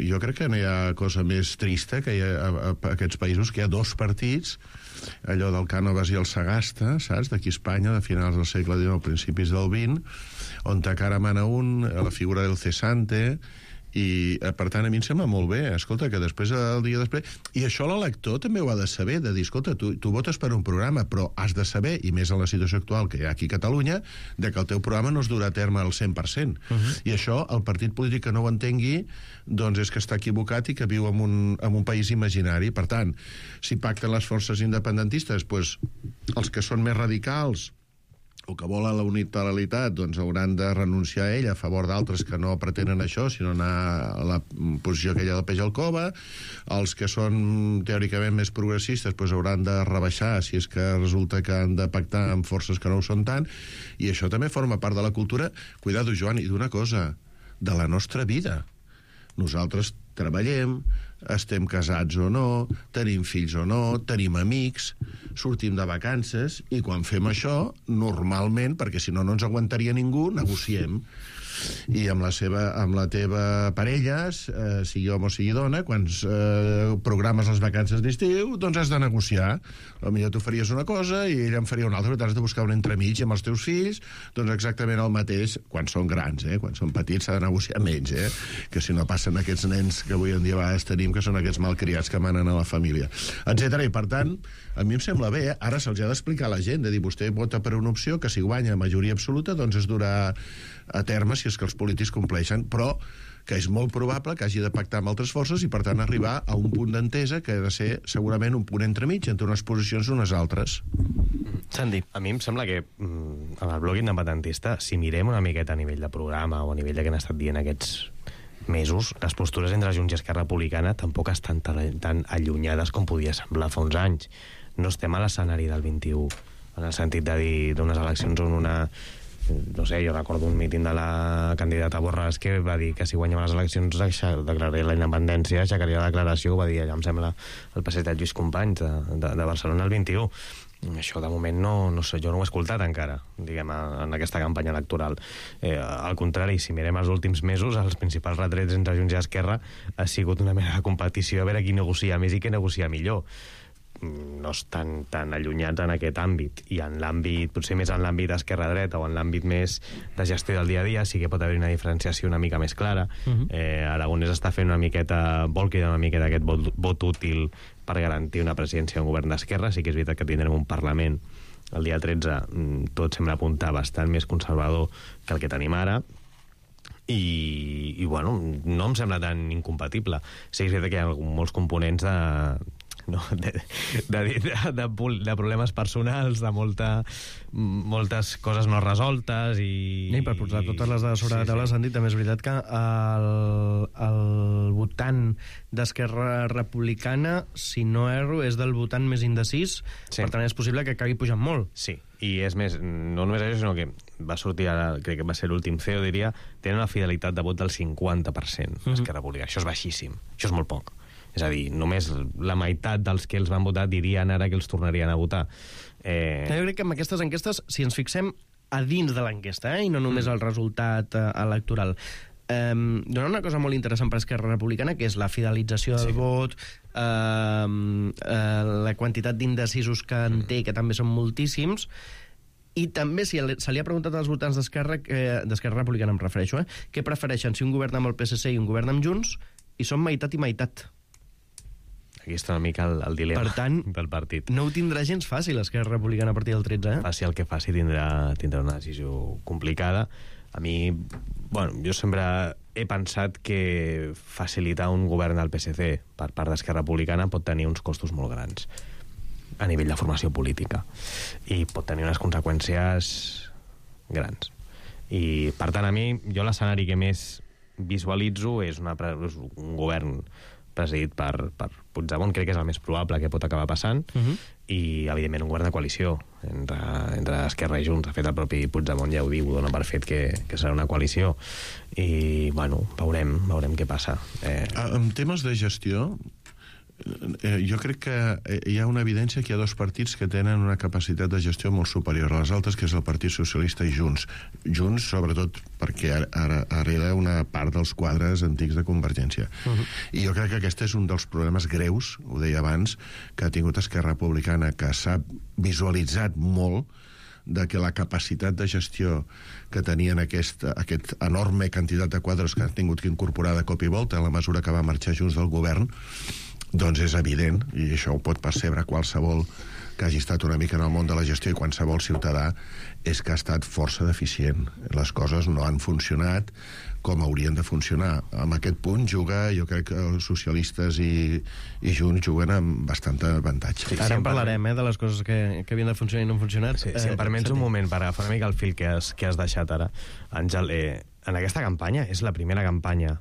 jo crec que no hi ha cosa més trista que hi ha a aquests països, que hi ha dos partits, allò del Cánovas i el Sagasta, saps? D'aquí a Espanya, de finals del segle XIX, principis del XX, on encara mana un, la figura del cesante, i per tant a mi em sembla molt bé, escolta, que després el dia després, i això l'elector també ho ha de saber, de dir, escolta, tu votes per un programa, però has de saber, i més en la situació actual que hi ha aquí a Catalunya, de que el teu programa no es durà a terme al 100%. I això, el partit polític que no ho entengui, doncs és que està equivocat i que viu en un país imaginari. Per tant, si pacten les forces independentistes, doncs els que són més radicals o que volen la unilateralitat, doncs hauran de renunciar a ell a favor d'altres que no pretenen això, sinó anar a la posició aquella del peix al cova. Els que són teòricament més progressistes doncs hauran de rebaixar si és que resulta que han de pactar amb forces que no ho són tant, i això també forma part de la cultura, cuidado, Joan, i d'una cosa, de la nostra vida. Nosaltres treballem, estem casats o no, tenim fills o no, tenim amics, sortim de vacances, i quan fem això, normalment, perquè si no no ens aguantaria ningú, negociem. I amb la teva parella, sigui home o sigui dona, quan programes les vacances d'estiu, doncs has de negociar. Potser tu faries una cosa i ella en faria una altra, però has de buscar un entremig. Amb els teus fills, doncs exactament el mateix, quan són grans, quan són petits s'ha de negociar menys, que si no passen aquests nens que avui en dia a vegades tenim, que són aquests malcriats que manen a la família, etc. I per tant, a mi em sembla bé, ara se'ls ha d'explicar a la gent, de dir, vostè vota per una opció que si guanya majoria absoluta, doncs es durà a terme si és que els polítics compleixen, però que és molt probable que hagi de pactar amb altres forces i, per tant, arribar a un punt d'entesa que ha de ser, segurament, un punt entremig entre unes posicions i unes altres. Sandy, a mi em sembla que amb el bloc independentista, si mirem una miqueta a nivell de programa o a nivell de què han estat dient aquests mesos, les postures entre Junts i Esquerra Republicana tampoc estan tan allunyades com podia semblar fa uns anys. No estem a l'escenari del 21, en el sentit de dir d'unes eleccions on una... No sé, jo recordo un míting de la candidata Borràs que va dir que si guanyava les eleccions declararia la independència, aixecaria la declaració, ho va dir allà, em sembla, el passeig de Lluís Companys de Barcelona el 21. Això de moment no sé, jo no ho he escoltat encara, diguem, en aquesta campanya electoral. Al contrari, si mirem els últims mesos, els principals retrets entre Junts i Esquerra ha sigut una mena de competició a veure qui negocia més i qui negocia millor. No estan tan allunyats en aquest àmbit, i en l'àmbit, potser més en l'àmbit d'esquerra-dreta o en l'àmbit més de gestió del dia a dia sí que pot haver una diferenciació una mica més clara. Aragonès està fent una miqueta, vol cridar una miqueta aquest vot útil per garantir una presidència d'un govern d'esquerra. Sí que és veritat que tindrem un Parlament el dia 13, tot sembla apuntar bastant més conservador que el que tenim ara, i bueno, no em sembla tan incompatible. Sí que és veritat que hi ha molts components de problemes personals, de moltes coses no resoltes i per posar totes les dades sobre la taula, Santi, també és veritat que el votant d'Esquerra Republicana, si no erro, és del votant més indecis, per tant és possible que acabi pujant molt. Sí, i és més, no només això, sinó que va sortir ara, crec que va ser l'últim CEO, diria, tenen una fidelitat de vot del 50%, Esquerra Republicana. Això és baixíssim, això és molt poc. És a dir, només la meitat dels que els van votar dirien ara que els tornarien a votar. Jo crec que amb aquestes enquestes, si ens fixem a dins de l'enquesta, i no només el resultat electoral, dona una cosa molt interessant per Esquerra Republicana, que és la fidelització del vot, la quantitat d'indecisos que en té, que també són moltíssims, i també se li ha preguntat als votants d'Esquerra Republicana, em refereixo, què prefereixen, si un govern amb el PSC i un govern amb Junts, i són meitat i meitat. Aquí està una mica el dilema, per tant, del partit. No ho tindrà gens fàcil Esquerra Republicana a partir del 13, Faci el que faci, tindrà una decisió complicada. A mi, bueno, jo sempre he pensat que facilitar un govern al PSC per part d'Esquerra Republicana pot tenir uns costos molt grans a nivell de formació política i pot tenir unes conseqüències grans. I, per tant, a mi, jo l'escenari que més visualitzo és un govern presidit per Puigdemont, crec que és el més probable que pot acabar passant, i, evidentment, un govern de coalició entre Esquerra i Junts. De fet, el propi Puigdemont ja ho diu, dona per fet que serà una coalició. I, bueno, veurem què passa. En temes de gestió, jo crec que hi ha una evidència que hi ha dos partits que tenen una capacitat de gestió molt superior a les altres, que és el Partit Socialista i Junts. Junts, sobretot, perquè ara hereda una part dels quadres antics de Convergència. I jo crec que aquest és un dels problemes greus, ho deia abans, que ha tingut Esquerra Republicana, que s'ha visualitzat molt de que la capacitat de gestió que tenien aquest enorme quantitat de quadres que han tingut que incorporar de cop i volta a la mesura que va marxar Junts del govern, doncs és evident, i això ho pot percebre qualsevol que hagi estat una mica en el món de la gestió i qualsevol ciutadà, és que ha estat força deficient. Les coses no han funcionat com haurien de funcionar. En aquest punt juga, jo crec que els socialistes i Junts juguen amb bastant avantatge. Sí, ara en parlarem, de les coses que havien de funcionar i no han funcionat. Sí, si em permets un moment per agafar una mica el fil que has deixat ara, Àngel, en aquesta campanya és la primera campanya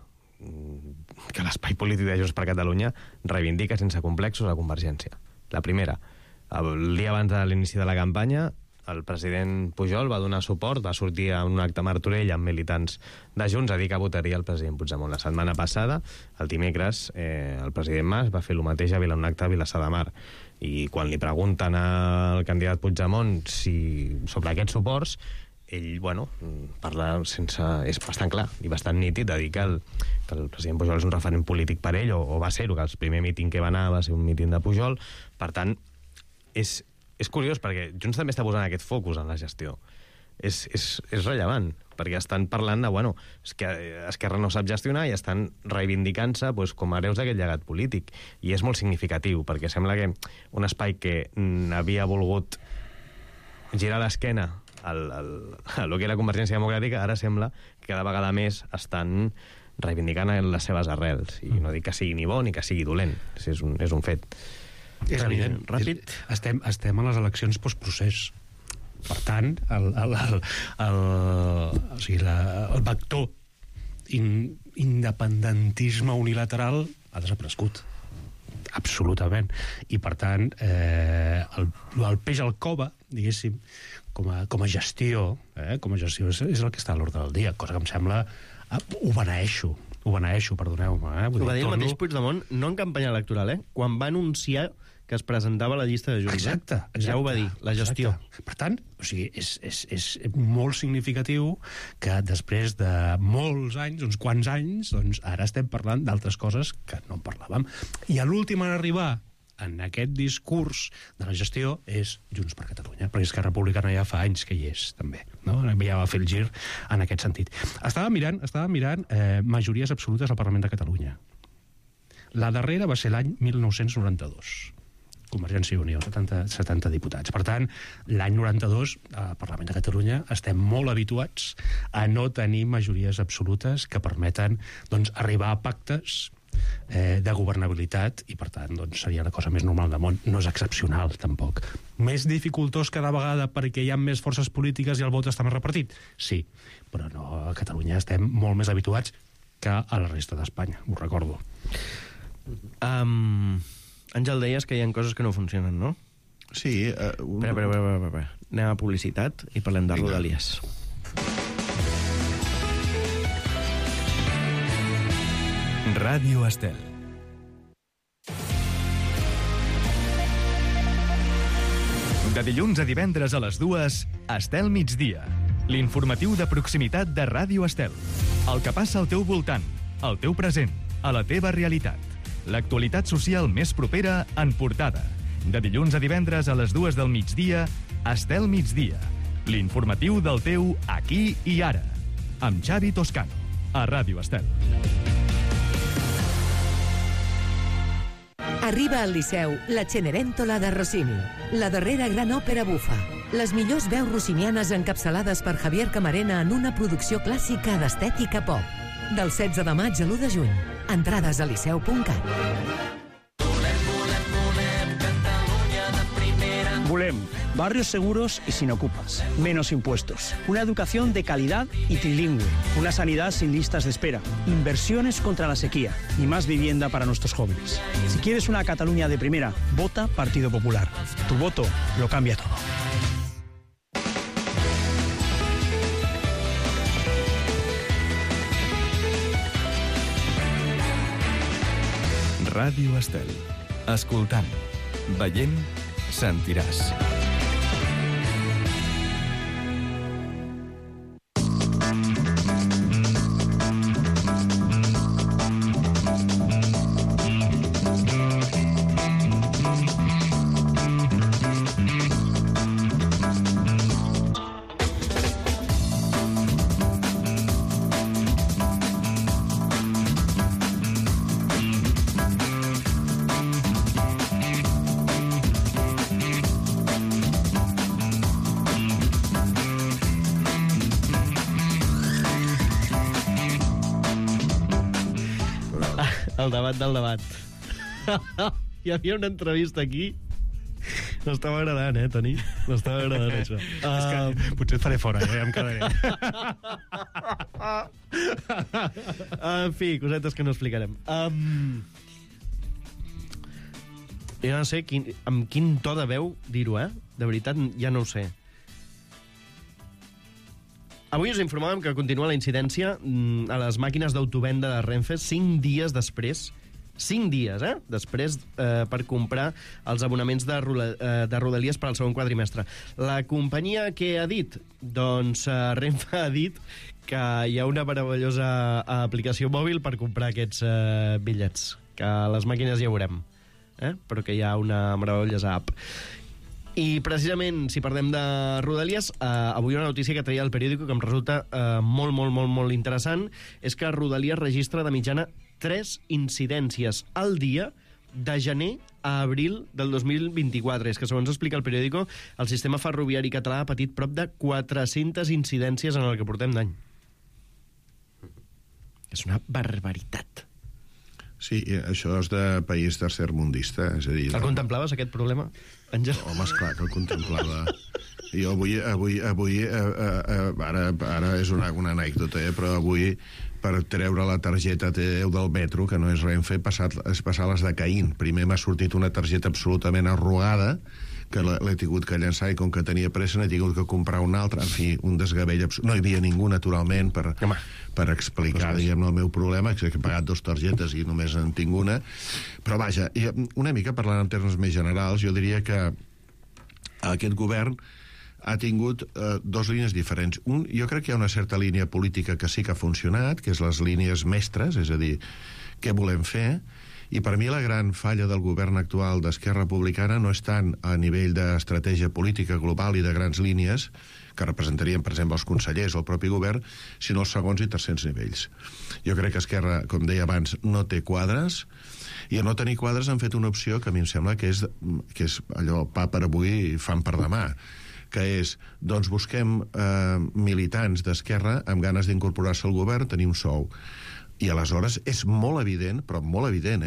que l'espai polític de Junts per Catalunya reivindica sense complexos a Convergència. La primera. El dia abans de l'inici de la campanya, el president Pujol va donar suport, va sortir a un acte a Martorell amb militants de Junts a dir que votaria el president Puigdemont. La setmana passada, el dimecres, el president Mas va fer el mateix a un acte a Vilassar de Mar. I quan li pregunten al candidat Puigdemont sobre aquests suports, ell, parla sense... És bastant clar i bastant nítid de dir que el president Pujol és un referent polític per ell, o va ser-ho, que el primer míting que va anar va ser un míting de Pujol. Per tant, és curiós, perquè Junts també està posant aquest focus en la gestió. És rellevant, perquè estan parlant de, és que Esquerra no sap gestionar i estan reivindicant-se com a hereus d'aquest llegat polític. I és molt significatiu, perquè sembla que un espai que havia volgut girar l'esquena a lo que era Convergència Democràtica, ara sembla que cada vegada més estan reivindicant les seves arrels. I no dic que sigui ni bo ni que sigui dolent. És un fet. És evident. Ràpid. Estem a les eleccions postprocés. Per tant, el vector independentisme unilateral ha desaparegut. Absolutament. I, per tant, el peix al cova, diguéssim, com a gestió, és el que està a l'ordre del dia, cosa que em sembla... Ho beneeixo, perdoneu-me. Ho va dir el mateix Puigdemont, no en campanya electoral, quan va anunciar que es presentava a la llista de Junts. Exacte. Ja ho va dir, la gestió. Exacte. Per tant, és molt significatiu que després de molts anys, uns quants anys, doncs ara estem parlant d'altres coses que no en parlàvem. I l'últim en arribar en aquest discurs de la gestió és Junts per Catalunya, perquè Esquerra Republicana ja fa anys que hi és, també. No? Ja va fer el gir en aquest sentit. Estava mirant majories absolutes al Parlament de Catalunya. La darrera va ser l'any 1992. Convergència i Unió, 70 diputats. Per tant, l'any 92, al Parlament de Catalunya, estem molt habituats a no tenir majories absolutes que permeten arribar a pactes de governabilitat i, per tant, seria la cosa més normal del món. No és excepcional, tampoc. Més dificultós cada vegada perquè hi ha més forces polítiques i el vot està més repartit? Sí, però no, a Catalunya estem molt més habituats que a la resta d'Espanya, ho recordo. Àngel, deies que hi ha coses que no funcionen, no? Sí. Espera. Anem a publicitat i parlem de Rodalies. Ràdio Estel. De dilluns a divendres a les 2, Estel Migdia. L'informatiu de proximitat de Ràdio Estel. El que passa al teu voltant, al teu present, a la teva realitat. L'actualitat social més propera en portada. De dilluns a divendres a les 2 del migdia, Estel Migdia. L'informatiu del teu aquí i ara. Amb Xavi Toscano, a Ràdio Estel. Arriba al Liceu la Cenerentola de Rossini, la darrera gran òpera bufa. Les millors veus rossinianes encapçalades per Javier Camarena en una producció clàssica d'estètica pop. Del 16 de maig a l'1 de juny. Entrades a liceu.cat. Volem barrios seguros y sin ocupas, menos impuestos, una educación de calidad y trilingüe, una sanidad sin listas de espera, inversiones contra la sequía y más vivienda para nuestros jóvenes. Si quieres una Cataluña de primera, vota Partido Popular. Tu voto lo cambia todo. Ràdio Estel. Escoltant, veient, sentiràs. El debat del debat. Hi havia una entrevista aquí. M'estava agradant, Toni? M'estava agradant, això. És que potser et faré fora, ja em quedaré. En fi, cosetes que no explicarem. Jo no sé amb quin to de veu dir-ho, De veritat, ja no ho sé. Avui us informàvem que continua la incidència a les màquines d'autovenda de Renfe 5 dies després. 5 dies, després per comprar els abonaments de Rodalies per al segon quadrimestre. La companyia què ha dit? Doncs Renfe ha dit que hi ha una meravellosa aplicació mòbil per comprar aquests bitllets, que a les màquines ja ho veurem, però que hi ha una meravellosa app. I precisament, si parlem de Rodalies, avui una notícia que traia el periòdico que em resulta molt interessant és que Rodalies registra de mitjana 3 incidències al dia de gener a abril del 2024. És que, segons explica el periòdico, el sistema ferroviari català ha patit prop de 400 incidències en el que portem d'any. És una barbaritat. Sí, això és de país tercermundista, és a dir... El contemplaves, aquest problema, Àngel? Home, esclar que el contemplava. Jo avui ara és una anècdota, però avui, per treure la targeta T10 del metro, que no és Renfe, és passar les de Caín. Primer m'ha sortit una targeta absolutament arrugada, que l'he tingut que llançar, i com que tenia pressa n'he tingut que comprar una altra. En fi, un desgavell absolut. No hi havia ningú, naturalment, per explicar, diguem-ne, el meu problema, que he pagat 2 targetes i només en tinc una. Però vaja, una mica parlant en termes més generals, jo diria que aquest govern ha tingut 2 línies diferents. Jo crec que hi ha una certa línia política que sí que ha funcionat, que és les línies mestres, és a dir, què volem fer. I per mi la gran falla del govern actual d'Esquerra Republicana no és tant a nivell d'estratègia política global i de grans línies, que representarien, per exemple, els consellers o el propi govern, sinó els segons i tercers nivells. Jo crec que Esquerra, com deia abans, no té quadres, i a no tenir quadres han fet una opció que a mi em sembla que és allò pa per avui i fam per demà, que és, doncs busquem militants d'Esquerra amb ganes d'incorporar-se al govern, tenir un sou. I aleshores és molt evident, però molt evident,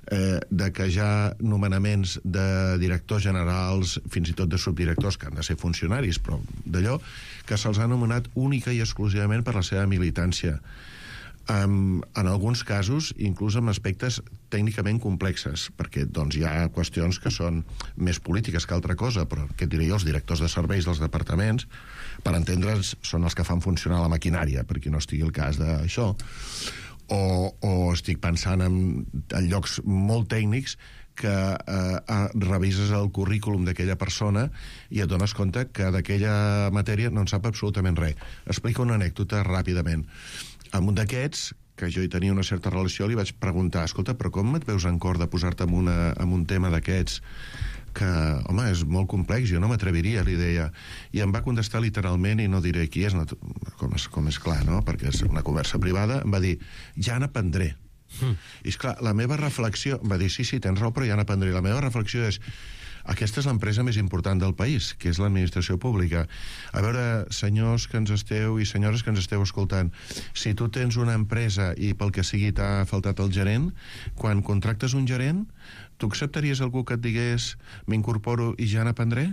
de que hi ha nomenaments de directors generals, fins i tot de subdirectors, que han de ser funcionaris, però d'allò, que se'ls ha nomenat única i exclusivament per la seva militància. En alguns casos, inclús amb aspectes tècnicament complexes, perquè doncs, hi ha qüestions que són més polítiques que altra cosa, però què diré jo, els directors de serveis dels departaments, per entendre'ns, són els que fan funcionar la maquinària, perquè no estigui el cas d'això. O estic pensant en llocs molt tècnics que revises el currículum d'aquella persona i et dones compte que d'aquella matèria no en sap absolutament res. Explico una anècdota ràpidament. Amb un d'aquests, que jo hi tenia una certa relació, li vaig preguntar, escolta, però com et veus en cor de posar-te en un tema d'aquests que, home, és molt complex, jo no m'atreviria, li deia. I em va contestar literalment, i no diré qui és, com és clar, no?, perquè és una conversa privada, em va dir, ja n'aprendré. I esclar, la meva reflexió, em va dir, sí, tens raó, però ja n'aprendré. La meva reflexió és, aquesta és l'empresa més important del país, que és l'administració pública. A veure, senyors que ens esteu i senyores que ens esteu escoltant, si tu tens una empresa i pel que sigui t'ha faltat el gerent, quan contractes un gerent, tu acceptaries algú que et digués m'incorporo i ja n'aprendré?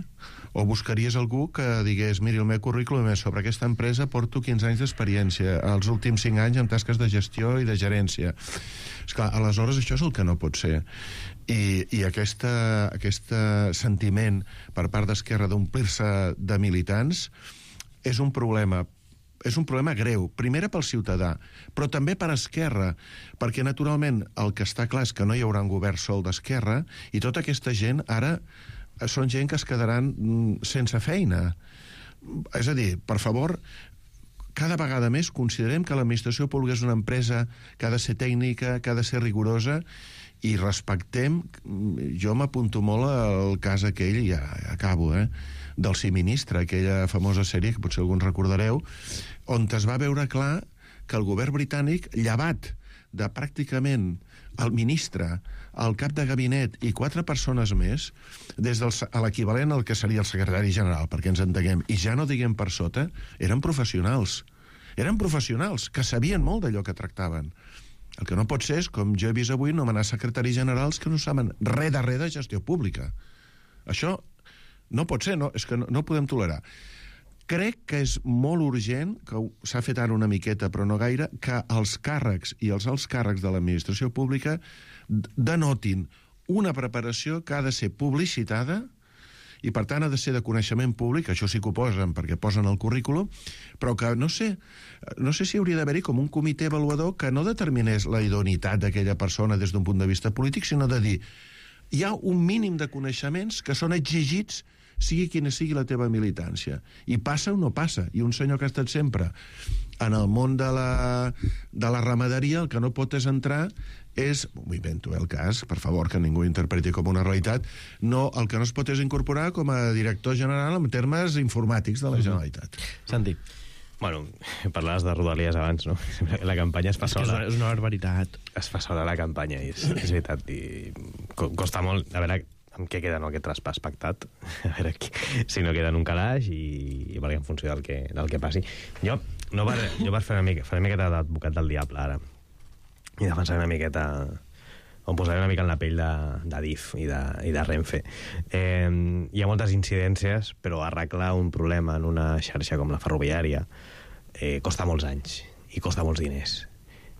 O buscaries algú que digués miri, el meu currículum és sobre aquesta empresa, porto 15 anys d'experiència, els últims 5 anys en tasques de gestió i de gerència. Esclar, aleshores això és el que no pot ser. I aquest sentiment per part d'Esquerra d'omplir-se de militants és un problema greu, primer pel ciutadà, però també per Esquerra, perquè naturalment el que està clar és que no hi haurà un govern sol d'Esquerra i tota aquesta gent ara són gent que es quedaran sense feina. És a dir, per favor, cada vegada més considerem que l'administració pública és una empresa que ha de ser tècnica, que ha de ser rigorosa, i respectem, jo m'apunto molt al cas aquell, i ja acabo, del Sí Ministre, aquella famosa sèrie que potser alguns recordareu, on es va veure clar que el govern britànic, llevat de pràcticament el ministre, el cap de gabinet i 4 persones més, des de l'equivalent al que seria el secretari general, perquè ens entenguem, i ja no diguem per sota, eren professionals. Eren professionals que sabien molt d'allò que tractaven. El que no pot ser és, com jo he vist avui, nomenar secretaris generals que no saben res de gestió pública. Això no pot ser, és que no ho podem tolerar. Crec que és molt urgent, que s'ha fet ara una miqueta, però no gaire, que els càrrecs i els alts càrrecs de l'administració pública denotin una preparació que ha de ser publicitada i, per tant, ha de ser de coneixement públic, això sí que ho posen, perquè posen el currículum, però que, no sé si hauria d'haver-hi com un comitè avaluador que no determinés la idoneïtat d'aquella persona des d'un punt de vista polític, sinó de dir, hi ha un mínim de coneixements que són exigits sigui quina sigui la teva militància. I passa o no passa. I un senyor que ha estat sempre en el món de la ramaderia, el que no pot és entrar m'ho invento el cas, per favor, que ningú interpreti com una realitat, el que no es pot és incorporar com a director general en termes informàtics de la Generalitat. Santi. Bueno, parlaves de Rodalies abans, no? La campanya es fa sola. És una barbaritat. Es fa sola la campanya, i és veritat. I costa molt, a veure amb què queda aquest traspàs pactat, a veure si no queda en un calaix i perquè en funció del que passi. Jo per fer una miqueta d'advocat del diable ara, i defensar una miqueta, o posar una mica en la pell d'Adif i de Renfe. Hi ha moltes incidències, però arreglar un problema en una xarxa com la ferroviària costa molts anys i costa molts diners.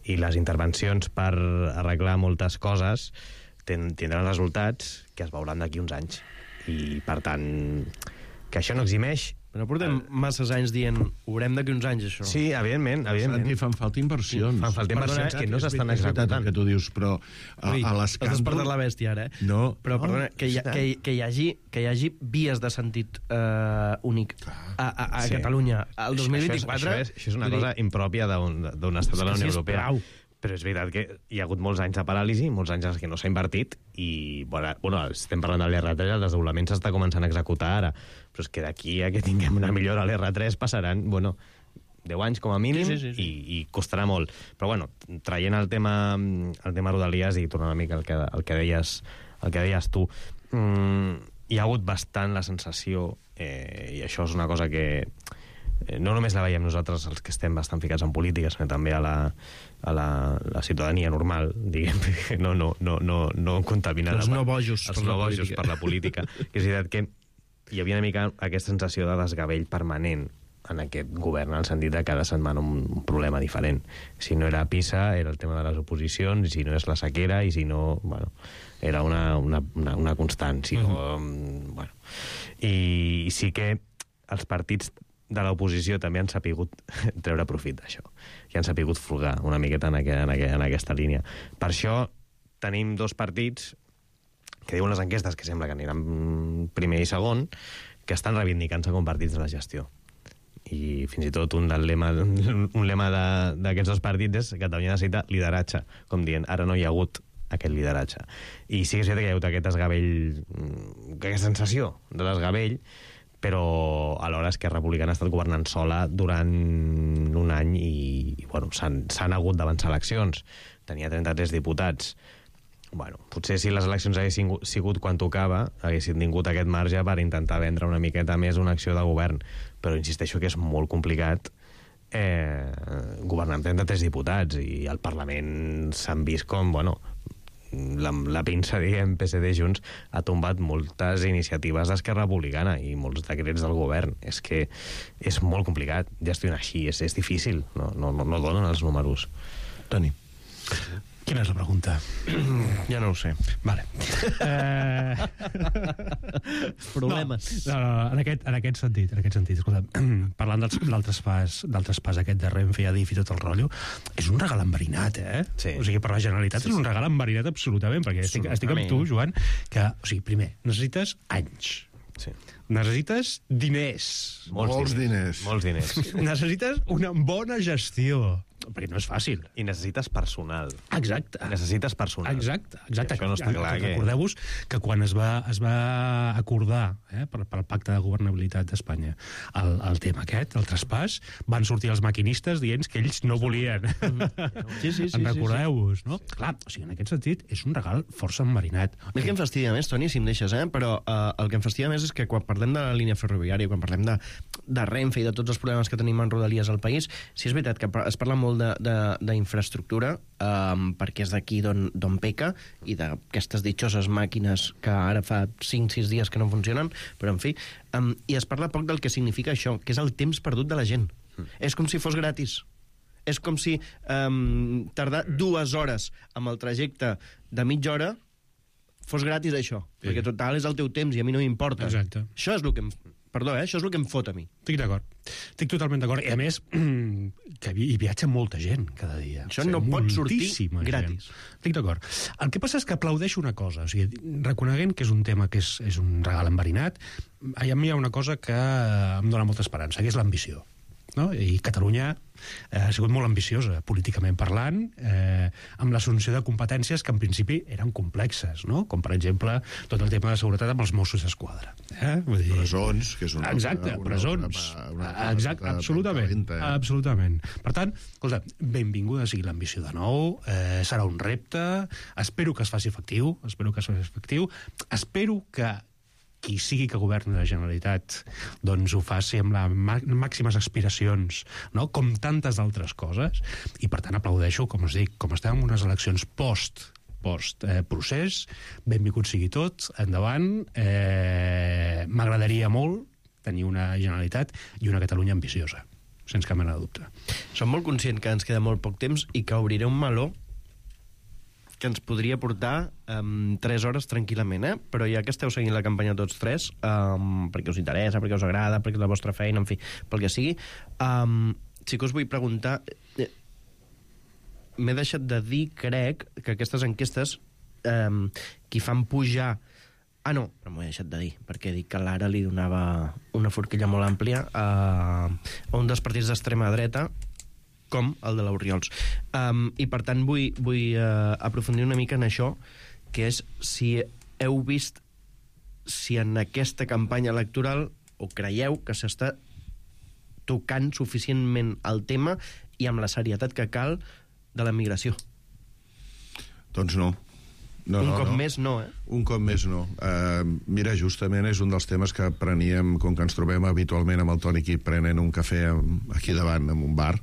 I les intervencions per arreglar moltes coses tindran resultats que es veuran d'aquí uns anys. I, per tant, que això no eximeix... Però portem masses anys dient haurem d'aquí uns anys, això. Sí, evidentment. Santi, fan falta inversions. Fan falta inversions que no s'estan executant. Que tu dius, però a l'escàndol... Has despertat la bèstia, ara, eh? No. Però, perdona, que hi hagi vies de sentit únic a Catalunya al 2024... Això és una cosa impròpia d'un estat de la Unió Europea. Però és veritat que hi ha hagut molts anys de paràlisi, molts anys en què no s'ha invertit, i, bueno, estem parlant de l'R3, el desdoblament s'està començant a executar ara, però és que d'aquí a que tinguem una millora a l'R3 passaran, 10 anys com a mínim, i costarà molt. Però, bueno, traient el tema Rodalies i tornant una mica al que deies tu, hi ha hagut bastant la sensació, i això és una cosa que no només la veiem nosaltres, els que estem bastant ficats en política, sinó també a la ciutadania normal, diguem, no contaminar els no bojos per la política. Que és veritat que hi havia una mica aquesta sensació de desgavell permanent en aquest govern, en el sentit de cada setmana un problema diferent. Si no era PISA, era el tema de les oposicions, i si no és la sequera, i si no... era una constant. Si no, I sí que els partits de l'oposició també han sapigut treure profit d'això, i han sapigut furgar una miqueta en aquesta línia. Per això tenim dos partits que diuen les enquestes que sembla que aniran primer i segon, que estan reivindicant-se com partits de la gestió. I fins i tot un lema d'aquests dos partits és que Catalunya necessita lideratge, com dient, ara no hi ha hagut aquest lideratge. I sí que és veritat que hi ha hagut aquest desgavell, aquesta sensació de desgavell, però alhora Esquerra Republicana ha estat governant sola durant un any i s'han hagut d'avançar eleccions. Tenia 33 diputats. Potser si les eleccions haguessin sigut quan tocava, haguessin tingut aquest marge per intentar vendre una miqueta més una acció de govern. Però insisteixo que és molt complicat governar amb 33 diputats, i al Parlament s'han vist com, la pinça, diguem, PSD Junts ha tombat moltes iniciatives d'Esquerra Republicana i molts decrets del govern. És que és molt complicat gestionar així, és difícil, no donen els números. Toni. Quina és la pregunta? Ja no ho sé. Vale. Problemes. En aquest sentit, escolta, parlant del traspàs aquest de Renfe i Adif i tot el rotllo, és un regal enverinat, Sí. O sigui, per la Generalitat és un regal enverinat absolutament, perquè estic amb tu, Joan, que, o sigui, primer, necessites anys. Sí. Necessites diners. Molts diners. Necessites una bona gestió, perquè no és fàcil. I necessites personal. Exacte. Exacte. Això no està clar. Recordeu-vos que quan es va acordar pel Pacte de Governabilitat d'Espanya el tema aquest, el traspàs, van sortir els maquinistes dient que ells no volien. Sí. En recordeu-vos, no? Clar, o sigui, en aquest sentit, és un regal força enverinat. El que em fastidia més, Toni, si em deixes, però el que em fastidia més és que quan parlem de la línia ferroviària, quan parlem de Renfe i de tots els problemes que tenim en Rodalies al país, sí és veritat que es parla molt molt d'infraestructura, perquè és d'aquí d'on peca, i d'aquestes ditxoses màquines que ara fa 5-6 dies que no funcionen, però en fi, i es parla poc del que significa això, que és el temps perdut de la gent. És com si fos gratis. És com si tardar 2 hores amb el trajecte de mitja hora fos gratis, això. Sí. Perquè total és el teu temps i a mi no m'importa. Exacte. Això és el que això és el que em fot a mi. Estic d'acord. Estic totalment d'acord. I a més, que hi viatja molta gent cada dia. Això no pot sortir gratis. Estic d'acord. El que passa és que aplaudeixo una cosa. O sigui, reconeguent que és un tema que és un regal enverinat, a mi hi ha una cosa que em dona molta esperança, que és l'ambició. No? I Catalunya ha sigut molt ambiciosa, políticament parlant, amb l'assumpció de competències que en principi eren complexes, no? Com per exemple tot el tema de seguretat amb els Mossos d'Esquadra. Vull dir... Presons, que és una... Exacte, presons. Exacte, absolutament. Absolutament. Per tant, escolta, benvinguda sigui l'ambició de nou, serà un repte, espero que es faci efectiu, espero que qui sigui que governi la Generalitat doncs ho faci amb les màximes aspiracions, no? Com tantes altres coses, i per tant aplaudeixo, com us dic, com estem en unes eleccions post-procés, benvingut sigui tot, endavant, m'agradaria molt tenir una Generalitat i una Catalunya ambiciosa, sense cap mena de dubte. Som molt conscients que ens queda molt poc temps i que obriré un meló que ens podria portar 3 hores tranquil·lament, però ja que esteu seguint la campanya tots tres, perquè us interessa, perquè us agrada, perquè és la vostra feina, en fi, pel que sigui, sí que us vull preguntar, m'he deixat de dir, crec, que aquestes enquestes qui fan pujar... no, però m'ho he deixat de dir, perquè he dit que l'Ara li donava una forquilla molt àmplia a un dels partits d'extrema dreta, com el de l'Oriols. I per tant vull aprofundir una mica en això, que és si heu vist si en aquesta campanya electoral o creieu que s'està tocant suficientment el tema i amb la serietat que cal de la migració. Doncs no. Un cop més no. Un cop més no. Mira, justament és un dels temes que preníem, com que ens trobem habitualment amb el Toni aquí prenent un cafè aquí davant, en un bar,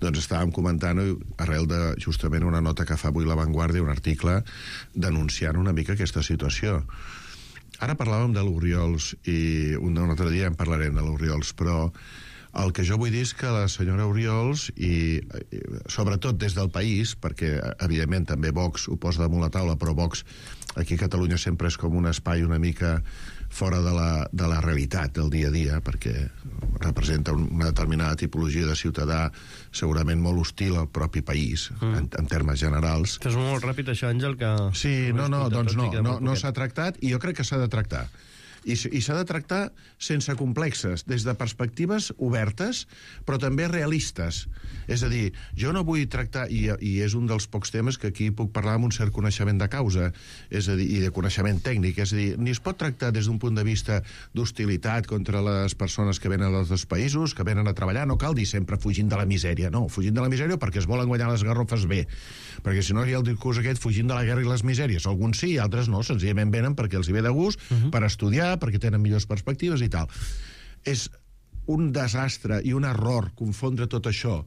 doncs estàvem comentant, arrel de justament una nota que fa avui La Vanguardia, un article denunciant una mica aquesta situació. Ara parlàvem de l'Oriols i un altre dia en parlarem de l'Oriols, però el que jo vull dir és que la senyora Oriols, i sobretot des del país, perquè evidentment també Vox ho posa damunt la taula, però Vox aquí a Catalunya sempre és com un espai una mica fora de la realitat del dia a dia, perquè representa una determinada tipologia de ciutadà segurament molt hostil al propi país, en termes generals. És molt ràpid això, Àngel, que... Sí, no s'ha tractat, i jo crec que s'ha de tractar. I s'ha de tractar sense complexes, des de perspectives obertes, però també realistes. És a dir, jo no vull tractar, i és un dels pocs temes que aquí puc parlar amb un cert coneixement de causa, és a dir, i de coneixement tècnic, és a dir, ni es pot tractar des d'un punt de vista d'hostilitat contra les persones que venen d'altres països, que venen a treballar, no cal dir sempre fugint de la misèria, no, fugint de la misèria perquè es volen guanyar les garrofes bé, perquè si no hi ha el discurs aquest fugint de la guerra i les misèries, alguns sí, altres no, senzillament venen perquè els hi ve de gust, per estudiar, perquè tenen millors perspectives i tal. És un desastre i un error confondre tot això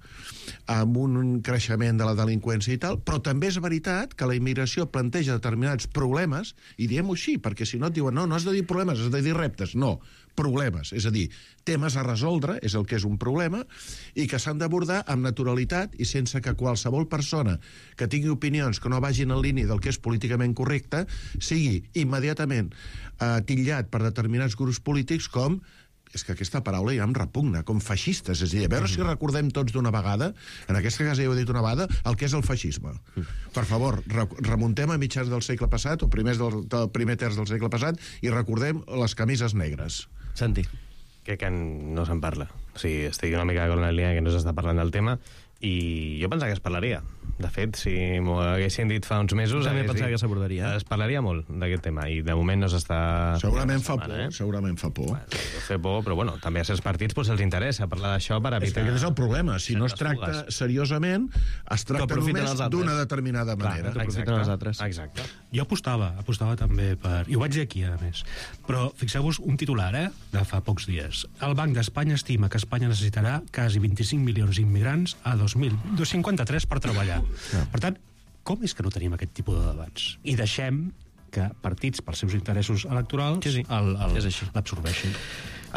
amb un creixement de la delinqüència i tal, però també és veritat que la immigració planteja determinats problemes, i diem-ho així, perquè si no et diuen no has de dir problemes, has de dir reptes. No, problemes, és a dir, temes a resoldre, és el que és un problema, i que s'han d'abordar amb naturalitat i sense que qualsevol persona que tingui opinions que no vagin en línia del que és políticament correcte sigui immediatament titllat per determinats grups polítics com, és que aquesta paraula ja em repugna, com feixistes. És a dir, a veure si recordem tots d'una vegada, en aquesta casa ja ho he dit una vegada, el que és el feixisme. Per favor, remuntem a mitjans del segle passat, o primers del primer terç del segle passat, i recordem les camises negres. Santi. Crec que no se'n parla. O sigui, estic una mica con la línia que no s'està parlant del tema, i jo pensava que es parlaria. De fet, si m'ho haguessin dit fa uns mesos... També pensava que s'abordaria. Es parlaria molt d'aquest tema, i de moment no s'està... Segurament fa por, segurament fa por. Fa por, però bueno, també a certs partits se'ls interessa parlar d'això per evitar... Aquest és el problema, si no es tracta seriosament, es tracta només d'una determinada manera. Aprofiten els altres. Exacte. Jo apostava també per... I ho vaig dir aquí, a més. Però fixeu-vos un titular, de fa pocs dies. El Banc d'Espanya estima que Espanya necessitarà quasi 25 milions d'immigrants a 2053 per treballar. Per tant, com és que no tenim aquest tipus de debats? I deixem que partits, pels seus interessos electorals, l'absorbeixin.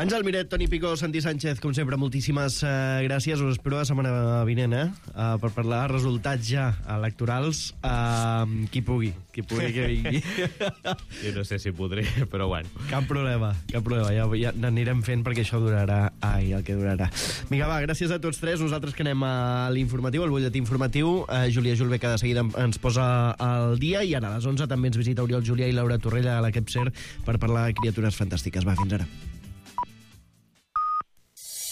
Àngel Miret, Toni Picó, Santi Sánchez, com sempre, moltíssimes gràcies. Us espero la setmana vinent, per parlar de resultats ja electorals. Qui pugui que vingui. Jo no sé si podré, però bueno. Cap problema. Ja n'anirem fent perquè això durarà el que durarà. Vinga, va, gràcies a tots tres. Nosaltres que anem a l'informatiu, al butlletí informatiu. Júlia Julve, que de seguida ens posa al dia, i ara a les 11 també ens visita Oriol Julià i Laura Torrella a la Kepser per parlar de criatures fantàstiques. Va, fins ara.